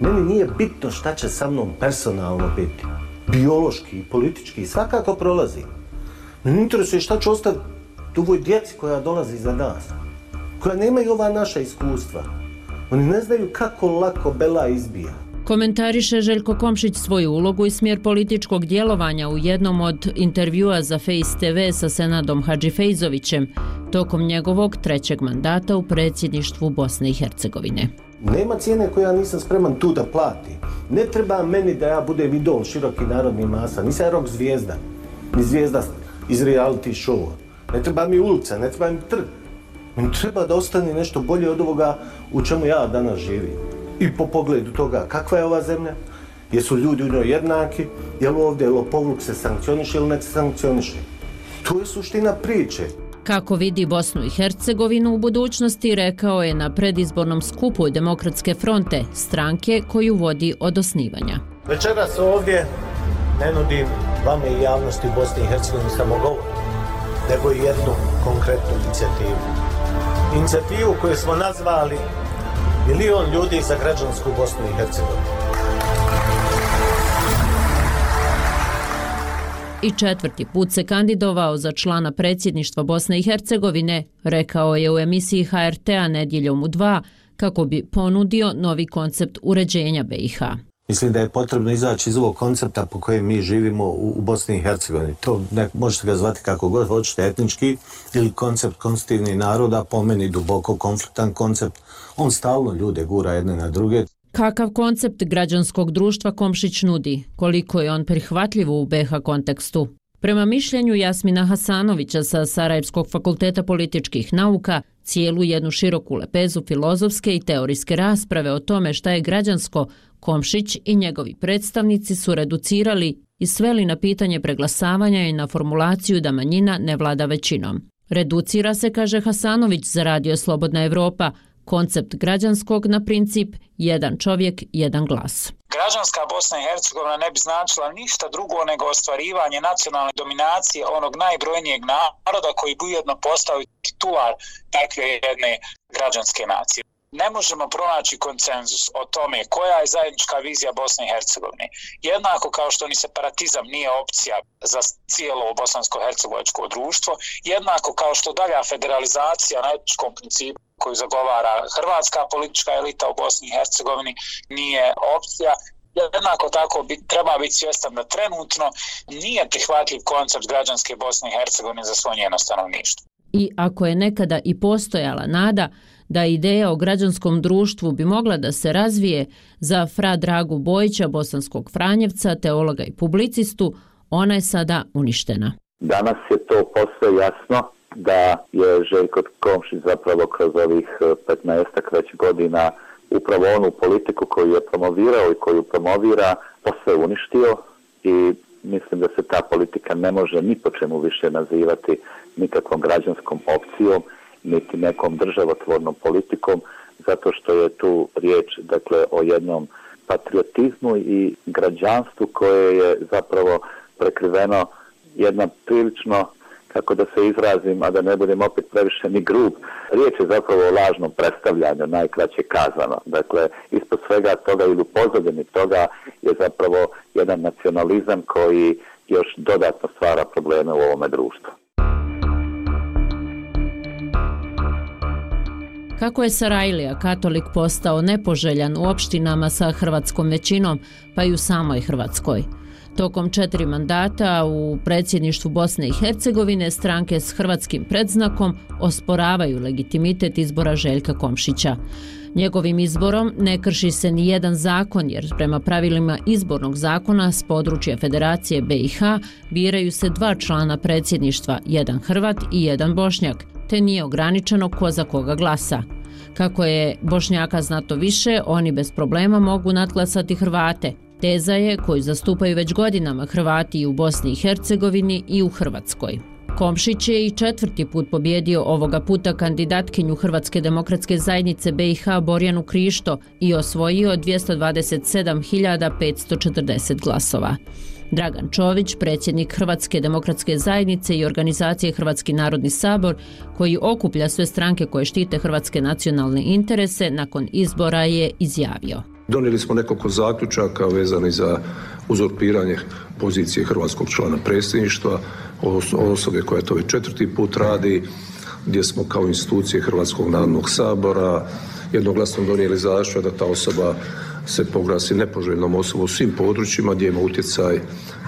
Meni nije bitno šta će sa mnom personalno biti. Biološki i politički svakako prolazi. Mene interesuje šta će ostati ovoj djeci koja dolazi za nas. Koja nemaju ova naša iskustva. Oni ne znaju kako lako bela izbija. Komentariše Željko Komšić svoju ulogu i smjer političkog djelovanja u jednom od intervjua za Face te ve sa Senadom Hadžifejzovićem tokom njegovog trećeg mandata u predsjedništvu Bosne i Hercegovine. Nema cijene koju ja nisam spreman tu da plati. Ne treba meni da ja budem idol široki narodni masa. Nisam rock zvijezda, ni zvijezda iz reality showa. Ne treba mi ulica, ne treba mi trg. Meni treba da ostane nešto bolje od ovoga u čemu ja danas živim. I po pogledu toga kakva je ova zemlja, jesu ljudi u njoj jednaki, je li ovdje lopovluk se sankcioniše ili ne sankcioniše. To je suština priče. Kako vidi Bosnu i Hercegovinu u budućnosti, rekao je na predizbornom skupu Demokratske fronte, stranke koju vodi od osnivanja. Večeras ovdje ne nudim vama i javnosti Bosne i Hercegovine samo govor, nego i jednu konkretnu inicijativu. Inicijativu koju smo nazvali Milion ljudi za građansku Bosnu i Hercegovinu. I četvrti put se kandidovao za člana predsjedništva Bosne i Hercegovine, rekao je u emisiji ha er te a Nedjeljom u dva, kako bi ponudio novi koncept uređenja be i ha. Mislim da je potrebno izaći iz ovog koncepta po kojem mi živimo u, u Bosni i Hercegovini. To ne, možete ga zvati kako god hoćete, etnički ili koncept konstitutivnih naroda, po meni duboko konfliktan koncept. On stalno ljude gura jedne na druge. Kakav koncept građanskog društva Komšić nudi? Koliko je on prihvatljiv u be ha kontekstu? Prema mišljenju Jasmina Hasanovića sa Sarajevskog fakulteta političkih nauka, cijelu jednu široku lepezu filozofske i teorijske rasprave o tome šta je građansko, Komšić i njegovi predstavnici su reducirali i sveli na pitanje preglasavanja i na formulaciju da manjina ne vlada većinom. Reducira se, kaže Hasanović za Radio Slobodna Evropa, koncept građanskog na princip jedan čovjek, jedan glas. Građanska Bosna i Hercegovina ne bi značila ništa drugo nego ostvarivanje nacionalne dominacije onog najbrojnijeg naroda koji bi ujedno postao titular takve jedne građanske nacije. Ne možemo pronaći konsenzus o tome koja je zajednička vizija Bosne i Hercegovine. Jednako kao što ni separatizam nije opcija za cijelo bosansko-hercegovačko društvo, jednako kao što dalja federalizacija na etničkom principu koju zagovara hrvatska politička elita u Bosni i Hercegovini nije opcija. Jednako tako bi, treba biti svjestan da trenutno nije prihvatljiv koncept građanske Bosne i Hercegovine za svo njeno stanovništvo. I ako je nekada i postojala nada da ideja o građanskom društvu bi mogla da se razvije za fra Dragu Bojića, bosanskog Franjevca, teologa i publicistu, ona je sada uništena. Danas je to posve jasno da je Željko Komšić zapravo kroz ovih petnaestak već godina upravo onu politiku koju je promovirao i koju promovira posve uništio i mislim da se ta politika ne može ni po čemu više nazivati nikakvom građanskom opcijom niti nekom državotvornom politikom, zato što je tu riječ dakle o jednom patriotizmu i građanstvu koje je zapravo prekriveno jedna prilično, kako da se izrazim, a da ne budem opet previše ni grub. Riječ je zapravo o lažnom predstavljanju, najkraće kazano. Dakle, ispod svega toga ili u pozadini toga je zapravo jedan nacionalizam koji još dodatno stvara probleme u ovome društvu. Kako je Sarajlija katolik postao nepoželjan u opštinama sa hrvatskom većinom, pa i u samoj Hrvatskoj? Tokom četiri mandata u predsjedništvu Bosne i Hercegovine stranke s hrvatskim predznakom osporavaju legitimitet izbora Željka Komšića. Njegovim izborom ne krši se ni jedan zakon, jer prema pravilima izbornog zakona s područja Federacije B i H biraju se dva člana predsjedništva, jedan Hrvat i jedan Bošnjak, te nije ograničeno ko za koga glasa. Kako je Bošnjaka znato više, oni bez problema mogu nadglasati Hrvate. Teza je koju zastupaju već godinama Hrvati i u Bosni i Hercegovini i u Hrvatskoj. Komšić je i četvrti put pobjedio ovoga puta kandidatkinju Hrvatske demokratske zajednice B i H Borjanu Krišto i osvojio dvjesto dvadeset sedam hiljada petsto četrdeset glasova. Dragan Čović, predsjednik Hrvatske demokratske zajednice i organizacije Hrvatski narodni sabor, koji okuplja sve stranke koje štite hrvatske nacionalne interese, nakon izbora je izjavio: Donijeli smo nekoliko zaključaka vezani za uzurpiranje pozicije hrvatskog člana predsjedništva, osobe koja to već četvrti put radi, gdje smo kao institucije Hrvatskog narodnog sabora jednoglasno donijeli zaključak da ta osoba se proglasi nepoželjnom osobom u svim područjima gdje ima utjecaj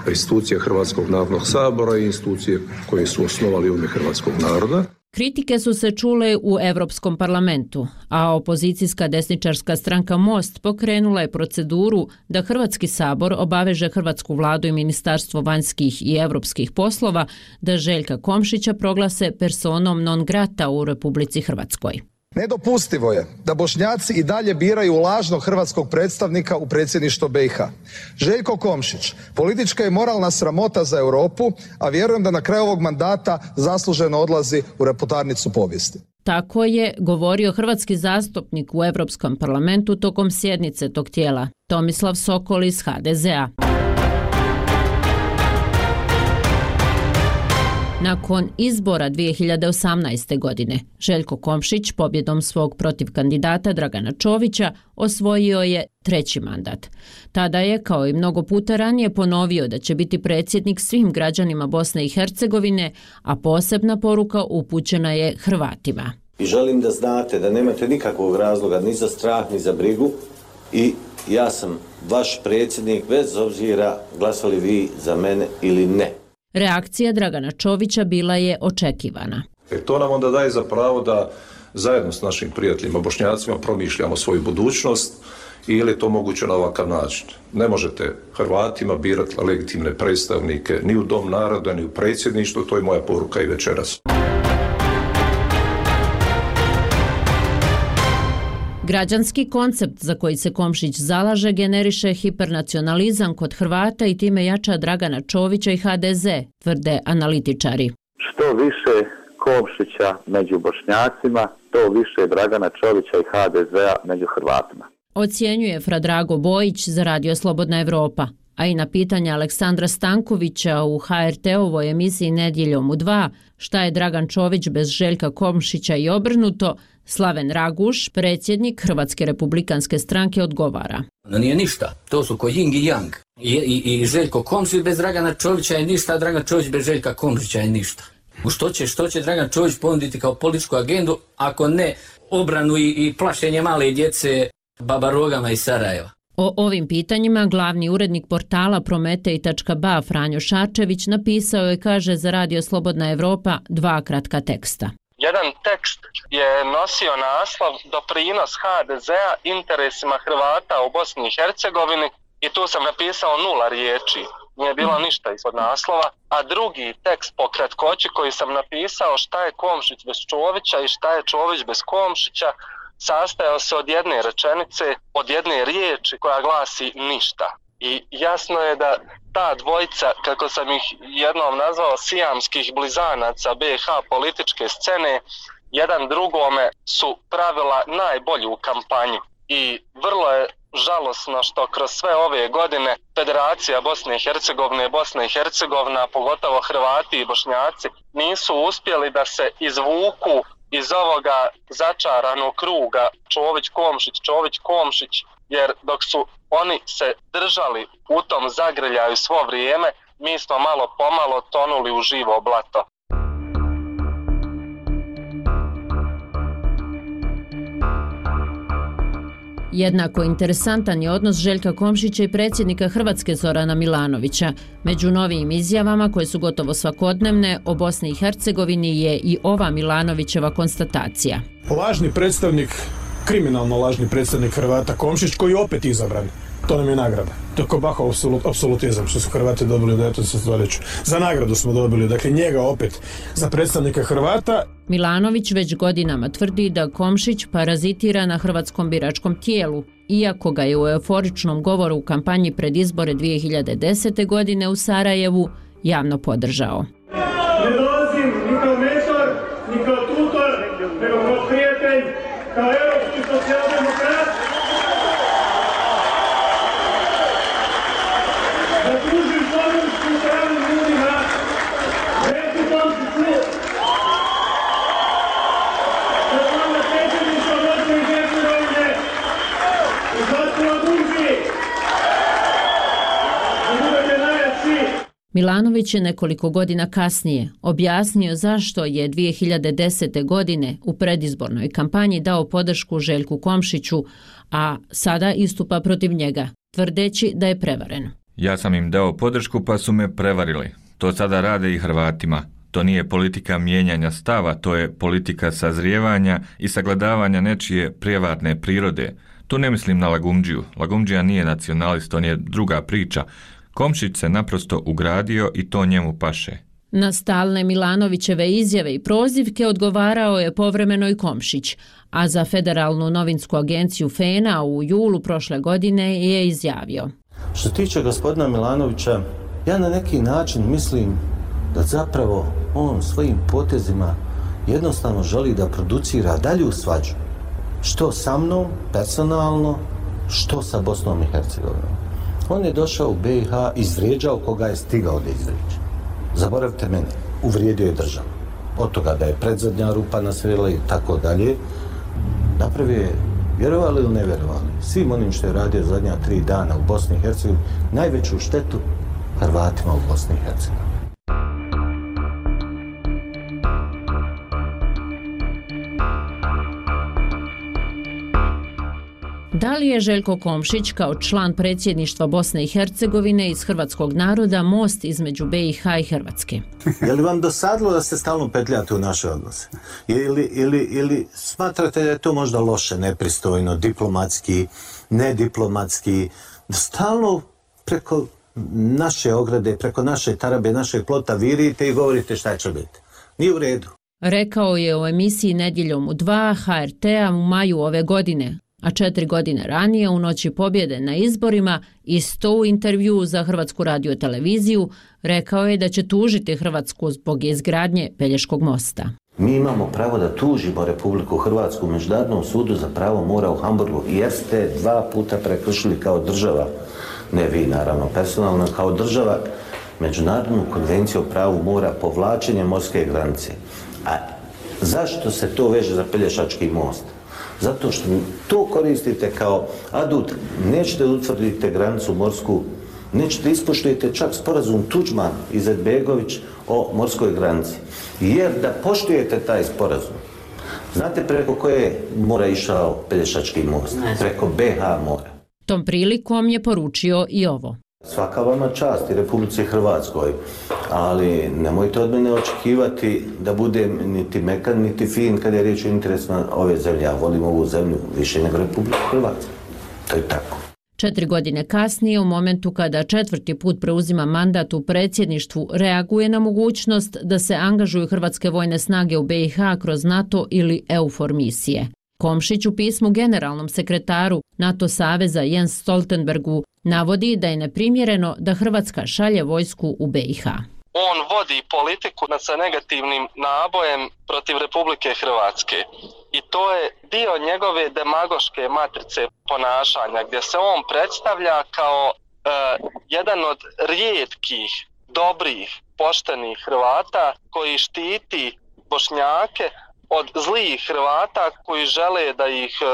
institucija Hrvatskog narodnog sabora i institucije koje su osnovali u ime hrvatskog naroda. Kritike su se čule u Europskom parlamentu, a opozicijska desničarska stranka Most pokrenula je proceduru da Hrvatski sabor obaveže hrvatsku vladu i Ministarstvo vanjskih i europskih poslova da Željka Komšića proglase personom non grata u Republici Hrvatskoj. Nedopustivo je da Bošnjaci i dalje biraju lažnog hrvatskog predstavnika u predsjedništvo B i H. Željko Komšić, politička i moralna sramota za Europu, a vjerujem da na kraju ovog mandata zasluženo odlazi u reputarnicu povijesti. Tako je govorio hrvatski zastupnik u Europskom parlamentu tokom sjednice tog tijela, Tomislav Sokol iz H D Z A. Nakon izbora dvije hiljade osamnaeste. godine, Željko Komšić pobjedom svog protiv kandidata Dragana Čovića osvojio je treći mandat. Tada je, kao i mnogo puta ranije, ponovio da će biti predsjednik svim građanima Bosne i Hercegovine, a posebna poruka upućena je Hrvatima. I želim da znate da nemate nikakvog razloga ni za strah, ni za brigu i ja sam vaš predsjednik bez obzira glasali vi za mene ili ne. Reakcija Dragana Čovića bila je očekivana. E to nam onda daje za pravo da zajedno s našim prijateljima Bošnjacima promišljamo svoju budućnost ili je to moguće na ovakav način. Ne možete Hrvatima birati legitimne predstavnike ni u Dom naroda, ni u predsjedništvu, to je moja poruka i večeras. Građanski koncept za koji se Komšić zalaže generiše hipernacionalizam kod Hrvata i time jača Dragana Čovića i H D Z, tvrde analitičari. Što više Komšića među Bošnjacima, to više Dragana Čovića i H D Z-a među Hrvatima. Ocjenjuje Fradrago Bojić za Radio Slobodna Evropa, a i na pitanje Aleksandra Stankovića u H R T-ovoj emisiji Nedjeljom u dva, šta je Dragan Čović bez Željka Komšića i obrnuto, Slaven Raguš, predsjednik Hrvatske republikanske stranke, odgovara. No nije ništa, to su ko Ying i Yang. I, i, i Željko Komšić bez Dragana Čovića je ništa, a Dragan Čović bez Željka Komšića je ništa. U što će, što će Dragan Čović ponuditi kao političku agendu, ako ne obranu i, i plašenje male djece babarogama iz Sarajeva? O ovim pitanjima glavni urednik portala prometej tačka b a Franjo Šarčević napisao je, kaže za Radio Slobodna Evropa, dva kratka teksta. Jedan tekst je nosio naslov Doprinos H D Z-a interesima Hrvata u Bosni i Hercegovini i tu sam napisao nula riječi, nije bilo ništa ispod naslova, a drugi tekst po kratkoći koji sam napisao šta je Komšić bez Čovića i šta je Čović bez Komšića sastajao se od jedne rečenice, od jedne riječi koja glasi ništa. I jasno je da ta dvojica, kako sam ih jednom nazvao, sijamskih blizanaca B i H političke scene, jedan drugome su pravila najbolju kampanju. I vrlo je žalosno što kroz sve ove godine Federacija Bosne i Hercegovine, Bosna i Hercegovina, pogotovo Hrvati i Bošnjaci, nisu uspjeli da se izvuku iz ovoga začaranog kruga Čović-Komšić, Čović-Komšić, jer dok su oni se držali u tom zagrljaju svo vrijeme, mi smo malo pomalo tonuli u živo blato. Jednako interesantan je odnos Željka Komšića i predsjednika Hrvatske Zorana Milanovića. Među novijim izjavama, koje su gotovo svakodnevne, o Bosni i Hercegovini je i ova Milanovićeva konstatacija. Lažni predstavnik, kriminalno lažni predstavnik Hrvata Komšić, koji je opet izabran. To nam je nagrada. To je ko Bahov apsolutizam što su Hrvati dobili u devenaestom stoljeću. Za nagradu smo dobili, dakle njega opet za predstavnika Hrvata. Milanović već godinama tvrdi da Komšić parazitira na hrvatskom biračkom tijelu, iako ga je u euforičnom govoru u kampanji pred izbore dvije hiljade desete. godine u Sarajevu javno podržao. Ne dolazim ni kao mentor, ni kao tutor, nego kao prijatelj, kao europski socijaldemokrat. Da tužim slovensku stranu ljudima, reći Komšiću, da sam na predsjedništvo Bosne i Hercegovine izglasila Bunži, da budete najjači. Milanović je nekoliko godina kasnije objasnio zašto je dvije hiljade desete. godine u predizbornoj kampanji dao podršku Željku Komšiću, a sada istupa protiv njega, tvrdeći da je prevaren. Ja sam im dao podršku pa su me prevarili. To sada rade i Hrvatima. To nije politika mijenjanja stava, to je politika sazrijevanja i sagledavanja nečije prijevarne prirode. Tu ne mislim na Lagumdžiju. Lagumdžija nije nacionalist, on je druga priča. Komšić se naprosto ugradio i to njemu paše. Na stalne Milanovićeve izjave i prozivke odgovarao je povremeno i Komšić, a za Federalnu novinsku agenciju F E N A u julu prošle godine je izjavio. Što se tiče gospodina Milanovića, ja na neki način mislim da zapravo on svojim potezima jednostavno želi da producira dalju svađu. Što sa mnom, personalno, što sa Bosnom i Hercegovinom. On je došao u B i H, izvrijeđao koga je stigao da izvrijeđa. Zaboravite mene, uvrijedio je državu. Od toga da je predzadnja rupa nasrela i tako dalje, napravio je, vjerovali ili ne vjerovali, svim onim što je radio zadnja tri dana u Bosni i Hercegovini, najveću štetu Hrvatima u Bosni i Hercegovini. Da li je Željko Komšić kao član predsjedništva Bosne i Hercegovine iz hrvatskog naroda most između B i H i Hrvatske? Je li vam dosadilo da ste stalno petljate u naše odnose? Ili, ili, ili smatrate da je to možda loše, nepristojno, diplomatski, nediplomatski, da stalno preko naše ograde, preko naše tarabe, našeg plota virite i govorite šta će biti? Nije u redu. Rekao je u emisiji Nedjeljom u dva H R T-a u maju ove godine, a četiri godine ranije u noći pobjede na izborima isto u intervjuu za Hrvatsku radioteleviziju rekao je da će tužiti Hrvatsku zbog izgradnje Pelješkog mosta. Mi imamo pravo da tužimo Republiku Hrvatsku u Međunarodnom sudu za pravo mora u Hamburgu jer ste dva puta prekršili kao država, ne vi naravno personalno, kao država Međunarodnu konvenciju o pravu mora povlačenje morske granice. A zašto se to veže za Pelješački most? Zato što to koristite kao adut, nećete utvrditi granicu morsku, nećete ispoštujete čak sporazum Tuđman i Izetbegović o morskoj granici. Jer da poštujete taj sporazum, znate preko koje mora išao Pelješački most? Preko B H mora. Tom prilikom je poručio i ovo. Svaka vama čast i Republici Hrvatskoj, ali nemojte od mene očekivati da budem niti mekan, niti fin kad je riječ o interesima ove zemlje. Ja volim ovu zemlju više nego Republiku Hrvatsku. To je tako. Četiri godine kasnije, u momentu kada četvrti put preuzima mandat u predsjedništvu, reaguje na mogućnost da se angažuju hrvatske vojne snage u B i H kroz NATO ili EUFOR misije. Komšić u pismu generalnom sekretaru NATO saveza Jens Stoltenbergu navodi da je neprimjereno da Hrvatska šalje vojsku u B i H. on vodi politiku sa negativnim nabojem protiv Republike Hrvatske. I to je dio njegove demagoške matrice ponašanja, gdje se on predstavlja kao e, jedan od rijetkih, dobrih, poštenih Hrvata koji štiti Bošnjake od zlih Hrvata koji žele da ih e,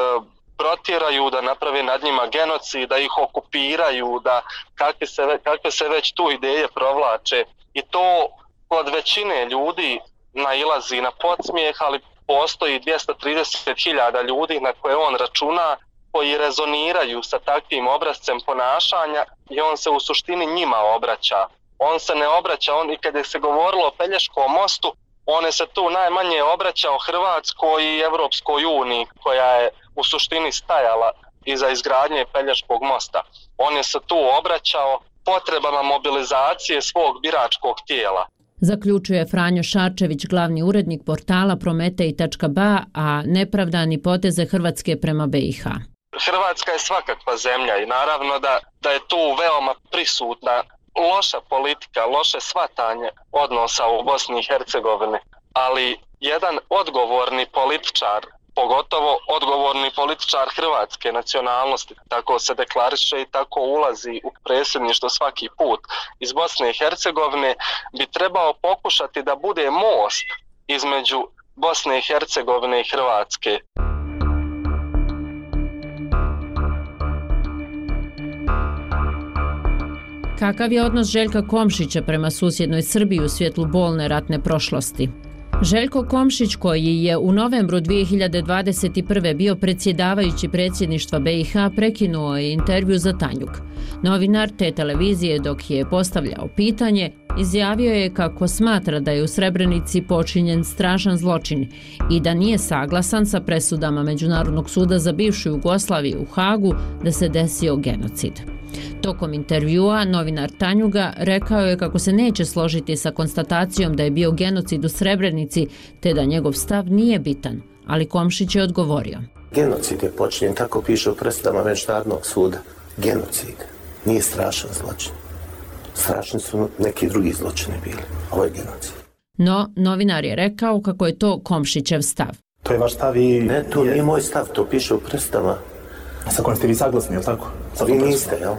protjeraju, da naprave nad njima genocid, da ih okupiraju, da kakve se, kakve se već tu ideje provlače. I to kod većine ljudi nailazi na podsmijeh, ali postoji dvjesto trideset hiljada ljudi na koje on računa koji rezoniraju sa takvim obrazcem ponašanja i on se u suštini njima obraća. On se ne obraća, on i kada se govorilo o Pelješkom mostu, on se tu najmanje obraćao Hrvatskoj i Evropskoj uniji koja je u suštini stajala iza izgradnje Pelješkog mosta. On je se tu obraćao potrebama mobilizacije svog biračkog tijela. Zaključuje Franjo Šarčević, glavni urednik portala prometej tačka ba, a nepravdani poteze Hrvatske prema be i ha. Hrvatska je svakakva zemlja i naravno da, da je tu veoma prisutna loša politika, loše shvatanje odnosa u Bosni i Hercegovini, ali jedan odgovorni političar, pogotovo odgovorni političar hrvatske nacionalnosti, tako se deklariše i tako ulazi u predsjedništvo svaki put iz Bosne i Hercegovine, bi trebao pokušati da bude most između Bosne i Hercegovine i Hrvatske. Kakav je odnos Željka Komšića prema susjednoj Srbiji u svjetlu bolne ratne prošlosti? Željko Komšić, koji je u novembru dvije hiljade dvadeset prve bio predsjedavajući predsjedništva be i ha, prekinuo je intervju za Tanjug. Novinar te televizije, dok je postavljao pitanje, izjavio je kako smatra da je u Srebrenici počinjen strašan zločin i da nije saglasan sa presudama Međunarodnog suda za bivšu Jugoslaviju u Hagu da se desio genocid. Tokom intervjua novinar Tanjuga rekao je kako se neće složiti sa konstatacijom da je bio genocid u Srebrenici, te da njegov stav nije bitan, ali Komšić je odgovorio. Genocid je počinjen, tako piše u presudama Međunarodnog suda. Genocid nije strašan zločin. Strašni su neki drugi zločini bili. Ovo je genocid. No, novinar je rekao kako je to Komšićev stav. To je vaš stav i... Ne, to nije moj stav, to piše u presudama. Sa kojim ste vi saglasni, jel tako? Sa vi niste, jel?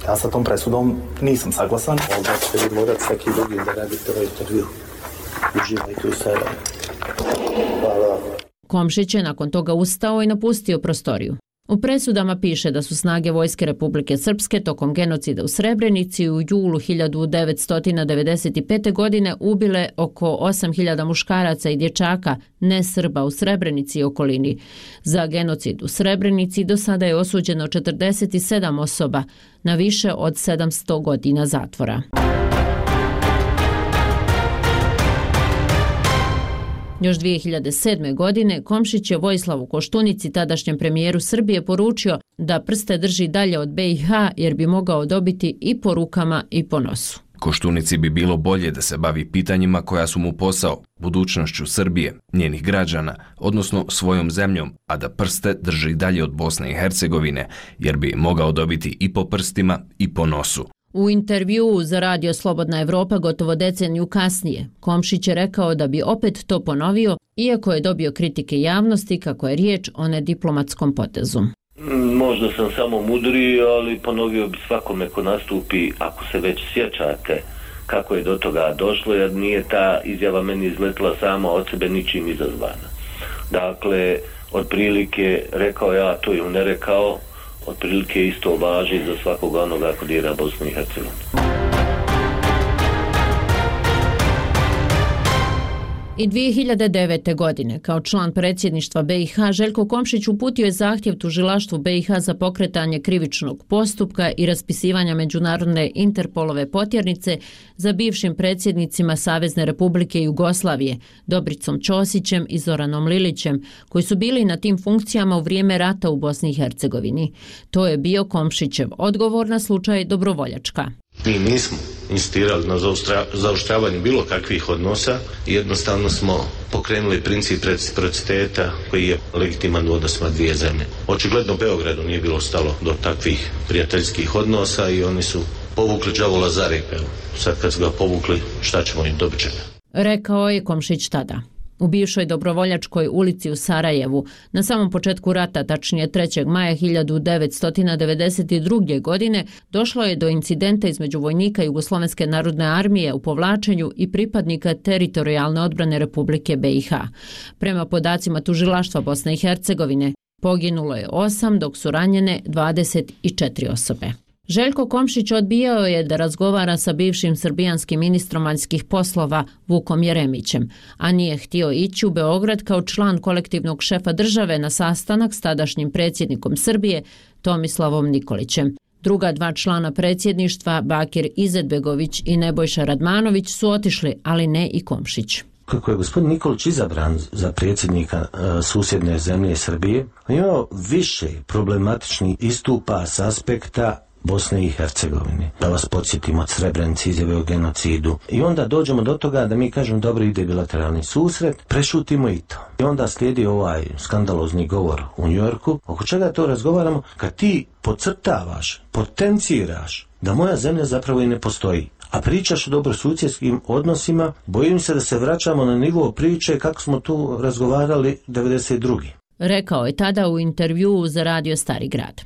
Ja sa tom presudom nisam saglasan. Onda ćete vi morati svaki drugi da radite ovaj intervju. Uživajte u sebe. Hvala. Komšić je nakon toga ustao i napustio prostoriju. U presudama piše da su snage Vojske Republike Srpske tokom genocida u Srebrenici u julu hiljadu devetsto devedeset pete. godine ubile oko osam hiljada muškaraca i dječaka ne Srba u Srebrenici i okolini. Za genocid u Srebrenici do sada je osuđeno četrdeset sedam osoba na više od sedamsto godina zatvora. Još dvije hiljade sedme. godine Komšić je Vojislavu Koštunici, tadašnjem premijeru Srbije, poručio da prste drži dalje od be i ha jer bi mogao dobiti i po rukama i po nosu. Koštunici bi bilo bolje da se bavi pitanjima koja su mu posao, budućnošću Srbije, njenih građana, odnosno svojom zemljom, a da prste drži dalje od Bosne i Hercegovine jer bi mogao dobiti i po prstima i po nosu. U intervjuu za radio Slobodna Evropa gotovo deceniju kasnije, Komšić je rekao da bi opet to ponovio, iako je dobio kritike javnosti kako je riječ o nediplomatskom potezu. Možda sam samo mudri, ali ponovio bi svakome ko nastupi, ako se već sjećate kako je do toga došlo, jer nije ta izjava meni izletila sama od sebe ničim izazvana. Dakle, otprilike rekao ja, to je ne rekao, otprilike isto važi za svakog onoga ko dira Bosnu i Hercegovinu. I dvije hiljade devete. godine, kao član predsjedništva be i ha, Željko Komšić uputio je zahtjev tužilaštvu be i ha za pokretanje krivičnog postupka i raspisivanja međunarodne Interpolove potjernice za bivšim predsjednicima Savezne Republike Jugoslavije, Dobricom Ćosićem i Zoranom Lilićem, koji su bili na tim funkcijama u vrijeme rata u Bosni i Hercegovini. To je bio Komšićev odgovor na slučaj Dobrovoljačka. Mi nismo insistirali na zaoštravanju bilo kakvih odnosa, jednostavno smo pokrenuli princip reciprociteta koji je legitiman u odnosima dvije zemlje. Očigledno Beogradu nije bilo stalo do takvih prijateljskih odnosa i oni su povukli đavola za rep. Sad kad su ga povukli, šta ćemo im dobit ćemo. Rekao je Komšić tada. U bivšoj Dobrovoljačkoj ulici u Sarajevu, na samom početku rata, tačnije trećeg maja hiljadu devetsto devedeset druge. godine, došlo je do incidenta između vojnika Jugoslovenske narodne armije u povlačenju i pripadnika teritorijalne odbrane Republike B i H. Prema podacima tužilaštva Bosne i Hercegovine, poginulo je osam, dok su ranjene dvadeset četiri osobe. Željko Komšić odbijao je da razgovara sa bivšim srbijanskim ministrom vanjskih poslova Vukom Jeremićem, a nije htio ići u Beograd kao član kolektivnog šefa države na sastanak s tadašnjim predsjednikom Srbije Tomislavom Nikolićem. Druga dva člana predsjedništva, Bakir Izetbegović i Nebojša Radmanović, su otišli, ali ne i Komšić. Kako je gospodin Nikolić izabran za predsjednika uh, susjedne zemlje Srbije, on je imao više problematičnih istupa s aspekta Bosne i Hercegovine. Da vas podsjetimo od Srebrenice, izjave o genocidu. I onda dođemo do toga da mi kažemo dobro, ide bilateralni susret, prešutimo i to. I onda slijedi ovaj skandalozni govor u Njujorku. Oko čega to razgovaramo? Kad ti podcrtavaš, potenciraš da moja zemlja zapravo i ne postoji, a pričaš o dobrosusjedskim odnosima, bojim se da se vraćamo na nivo priče kako smo tu razgovarali devedeset druge. Rekao je tada u intervjuu za radio Stari grad.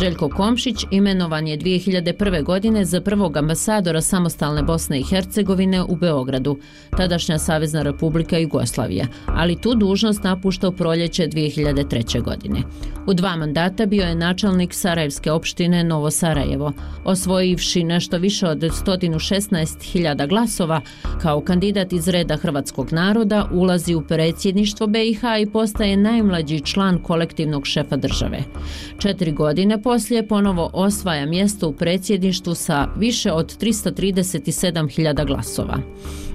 Željko Komšić imenovan je dvije hiljade prve. godine za prvog ambasadora samostalne Bosne i Hercegovine u Beogradu, tadašnja Savezna Republika Jugoslavija, ali tu dužnost napušta u proljeće dvije hiljade treće. godine. U dva mandata bio je načelnik Sarajevske opštine Novo Sarajevo, osvojivši nešto više od sto šesnaest hiljada glasova. Kao kandidat iz reda hrvatskog naroda ulazi u predsjedništvo B i H i postaje najmlađi član kolektivnog šefa države. Četiri godine poslije ponovo osvaja mjesto u predsjedništvu sa više od tristo trideset sedam hiljada glasova.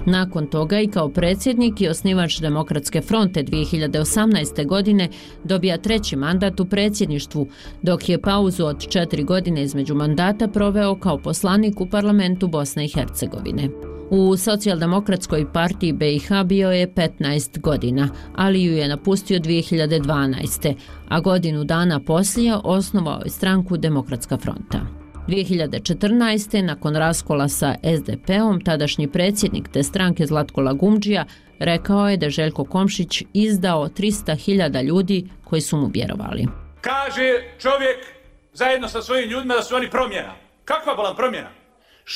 Nakon toga i kao predsjednik i osnivač Demokratske fronte dvije hiljade osamnaeste. godine dobija treći mandat u predsjedništvu, dok je pauzu od četiri godine između mandata proveo kao poslanik u parlamentu Bosne i Hercegovine. U Socijaldemokratskoj partiji B i H bio je petnaest godina, ali ju je napustio dvije hiljade dvanaeste. a godinu dana poslije osnovao je stranku Demokratska fronta. dvije hiljade četrnaeste. nakon raskola sa S D P-om, tadašnji predsjednik te stranke Zlatko Lagumdžija rekao je da Željko Komšić izdao tristo hiljada ljudi koji su mu vjerovali. Kaže čovjek zajedno sa svojim ljudima da su oni promjena. Kakva bila promjena?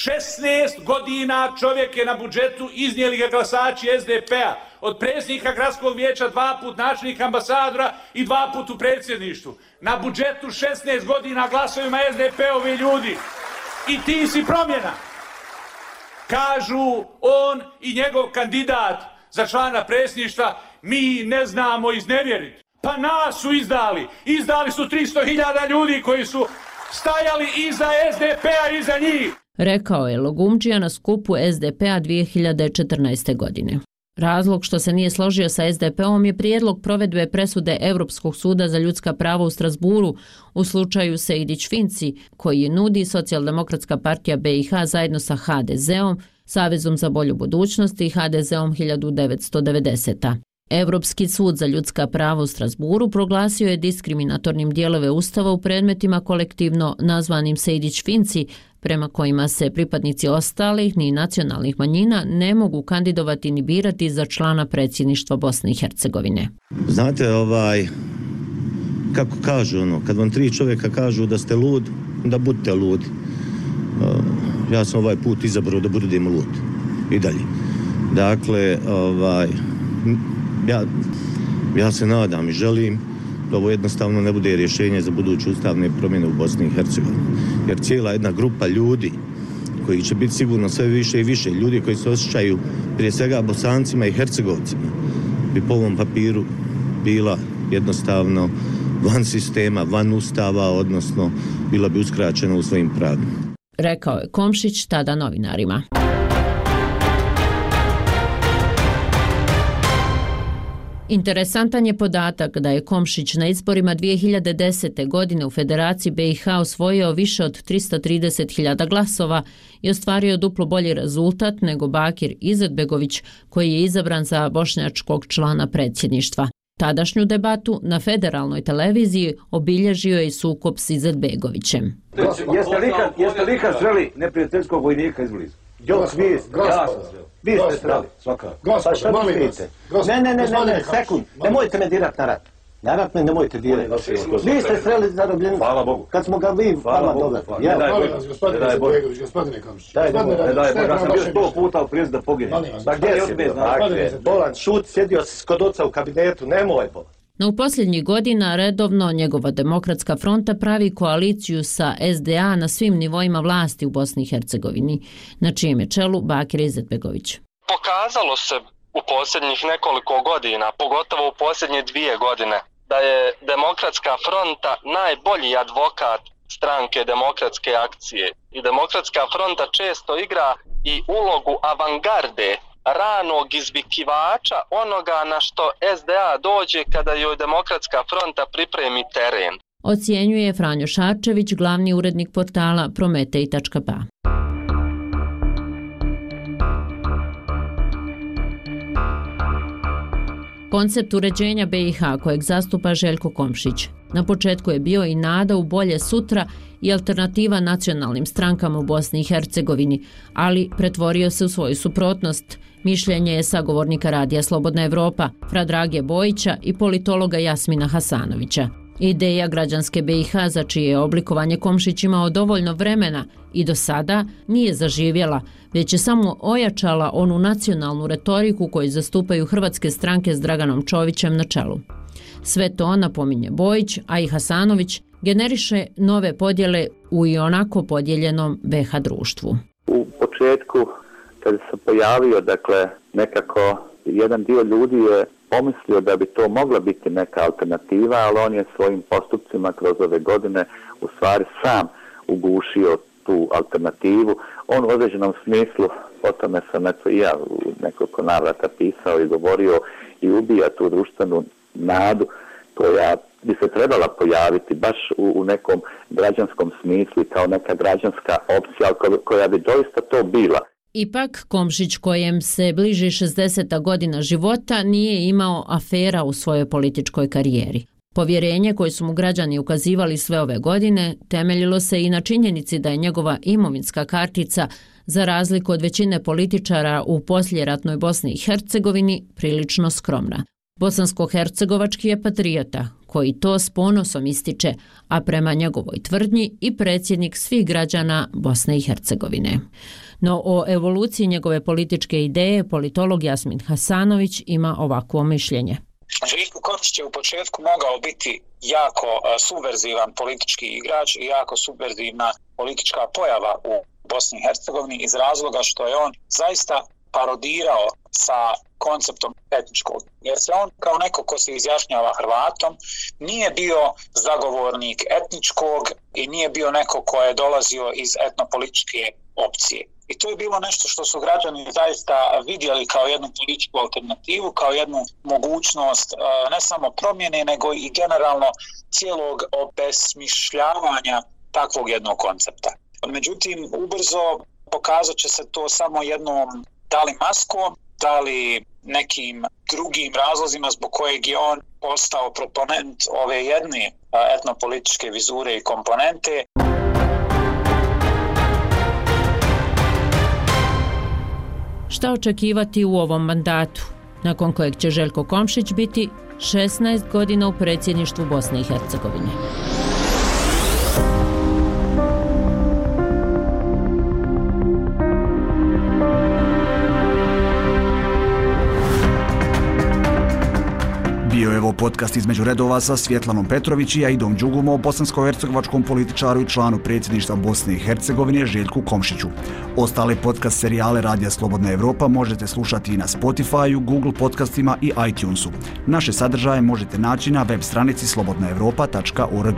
šesnaest godina čovjek je na budžetu, iznijeli ga glasači S D P-a, od predsjednika gradskog vijeća dva put, načelnika ambasadora i dva put u predsjedništvu. Na budžetu šesnaest godina glasovima S D P-ovi ljudi. I ti si promjena. Kažu on i njegov kandidat za člana predsjedništva, mi ne znamo iznevjeriti. Pa nas su izdali. Izdali su tristo hiljada ljudi koji su stajali iza S D P-a i iza njih. Rekao je Lagumdžija na skupu S D P-a dvije hiljade četrnaeste. godine. Razlog što se nije složio sa S D P-om je prijedlog provedbe presude Europskog suda za ljudska prava u Strasburu u slučaju Sejdić-Finci, koji je nudi Socijaldemokratska partija B i H zajedno sa H D Z-om, Savezom za bolju budućnost i H D Z-om hiljadu devetsto devedesete. Europski sud za ljudska prava u Strasburu proglasio je diskriminatornim dijelove Ustava u predmetima kolektivno nazvanim Sejdić-Finci, prema kojima se pripadnici ostalih ni nacionalnih manjina ne mogu kandidovati ni birati za člana predsjedništva Bosne i Hercegovine. Znate, ovaj, kako kažu ono, kad vam tri čovjeka kažu da ste lud, da budete ludi. Ja sam ovaj put izabrao da budem lud. I dalje. Dakle, ovaj, ja, ja se nadam i želim da ovo jednostavno ne bude rješenje za buduće ustavne promjene u Bosni i Hercegovini. Jer cijela jedna grupa ljudi koji će biti sigurno sve više i više, ljudi koji se osjećaju prije svega Bosancima i Hercegovcima, bi po ovom papiru bila jednostavno van sistema, van ustava, odnosno bila bi uskraćena u svojim pravima. Rekao je Komšić tada novinarima. Interesantan je podatak da je Komšić na izborima dvije hiljade desete. godine u Federaciji B i H osvojio više od tristo trideset hiljada glasova i ostvario duplo bolji rezultat nego Bakir Izetbegović, koji je izabran za bošnjačkog člana predsjedništva. Tadašnju debatu na federalnoj televiziji obilježio je i sukob s Izetbegovićem. Jeste li ikad, jeste li ikad sreli neprijateljskog vojnika izbliza? Jo, svi, ja sam sreli. Vi ste sreli, svakako. Pa šta mi vidite? Ne, ne, ne, ne, ne, sekund, nemojte me dirat na rat. Na rat me nemojte dirat. Vi ste sreli zarobljenicu. Hvala Bogu. Kad smo ga vi vama doveli. Ne daj Bože, gospodine Izetbegović, gospodine Komšić. Ne daj Bože, ja sam bio sto puta u prilici da poginem. Pa gdje si? Bolan, šut, sjedio si kod oca u kabinetu, nemoj Bolan. No u posljednjih godina redovno njegova Demokratska fronta pravi koaliciju sa S D A na svim nivoima vlasti u Bosni i Hercegovini, na čijem je čelu Bakir Izetbegović. Pokazalo se u posljednjih nekoliko godina, pogotovo u posljednje dvije godine, da je Demokratska fronta najbolji advokat stranke Demokratske akcije. I Demokratska fronta često igra i ulogu avangarde, ranog izvikivača onoga na što S D A dođe kada joj Demokratska fronta pripremi teren. Ocjenjuje Franjo Šarčević, glavni urednik portala Prometej tačka b a. Koncept uređenja B i H kojeg zastupa Željko Komšić na početku je bio i nada u bolje sutra i alternativa nacionalnim strankama u Bosni i Hercegovini, ali pretvorio se u svoju suprotnost. Mišljenje je sagovornika Radija Slobodna Evropa, Fradrage Bojića i politologa Jasmina Hasanovića. Ideja građanske B i H za čije je oblikovanje Komšić imao dovoljno vremena i do sada nije zaživjela, već je samo ojačala onu nacionalnu retoriku koju zastupaju hrvatske stranke s Draganom Čovićem na čelu. Sve to, napominje Bojić, a i Hasanović, generiše nove podjele u i onako podijeljenom B H društvu. U početku, kada se pojavio, dakle, nekako jedan dio ljudi je pomislio da bi to mogla biti neka alternativa, ali on je svojim postupcima kroz ove godine u stvari sam ugušio tu alternativu. On u određenom smislu, o tome sam eto i ja u nekoliko navrata pisao i govorio, i ubija tu društvenu nadu koja bi se trebala pojaviti baš u, u nekom građanskom smislu kao neka građanska opcija koja bi doista to bila. Ipak, Komšić, kojem se bliži šezdeseta godina života, nije imao afera u svojoj političkoj karijeri. Povjerenje koje su mu građani ukazivali sve ove godine temeljilo se i na činjenici da je njegova imovinska kartica, za razliku od većine političara u posljeratnoj Bosni i Hercegovini, prilično skromna. Bosansko-hercegovački je patriota, koji to s ponosom ističe, a prema njegovoj tvrdnji i predsjednik svih građana Bosne i Hercegovine. No o evoluciji njegove političke ideje politolog Jasmin Hasanović ima ovakvo mišljenje. Željko Komšić je u početku mogao biti jako subverzivan politički igrač i jako subverzivna politička pojava u Bosni i Hercegovini iz razloga što je on zaista parodirao sa konceptom etničkog. Jer se on kao neko ko se izjašnjava Hrvatom nije bio zagovornik etničkog i nije bio neko ko je dolazio iz etnopolitičke opcije. I to je bilo nešto što su građani zaista vidjeli kao jednu političku alternativu, kao jednu mogućnost ne samo promjene, nego i generalno cijelog obesmišljavanja takvog jednog koncepta. Međutim, ubrzo pokazat će se to samo jednom da li maskom, da li nekim drugim razlozima zbog kojeg je on postao proponent ove jedne etnopolitičke vizure i komponente. Šta očekivati u ovom mandatu, nakon kojeg će Željko Komšić biti šesnaest godina u predsjedništvu Bosne i Hercegovine? Bio je ovo podcast između redova sa Svjetlanom Petrović i Aidom Đugum o bosansko-hercegovačkom političaru i članu predsjedništva Bosne i Hercegovine Željku Komšiću. Ostale podcast serijale Radija Slobodna Evropa možete slušati i na Spotify-u, Google podcastima i iTunesu. Naše sadržaje možete naći na web stranici slobodna evropa tačka org.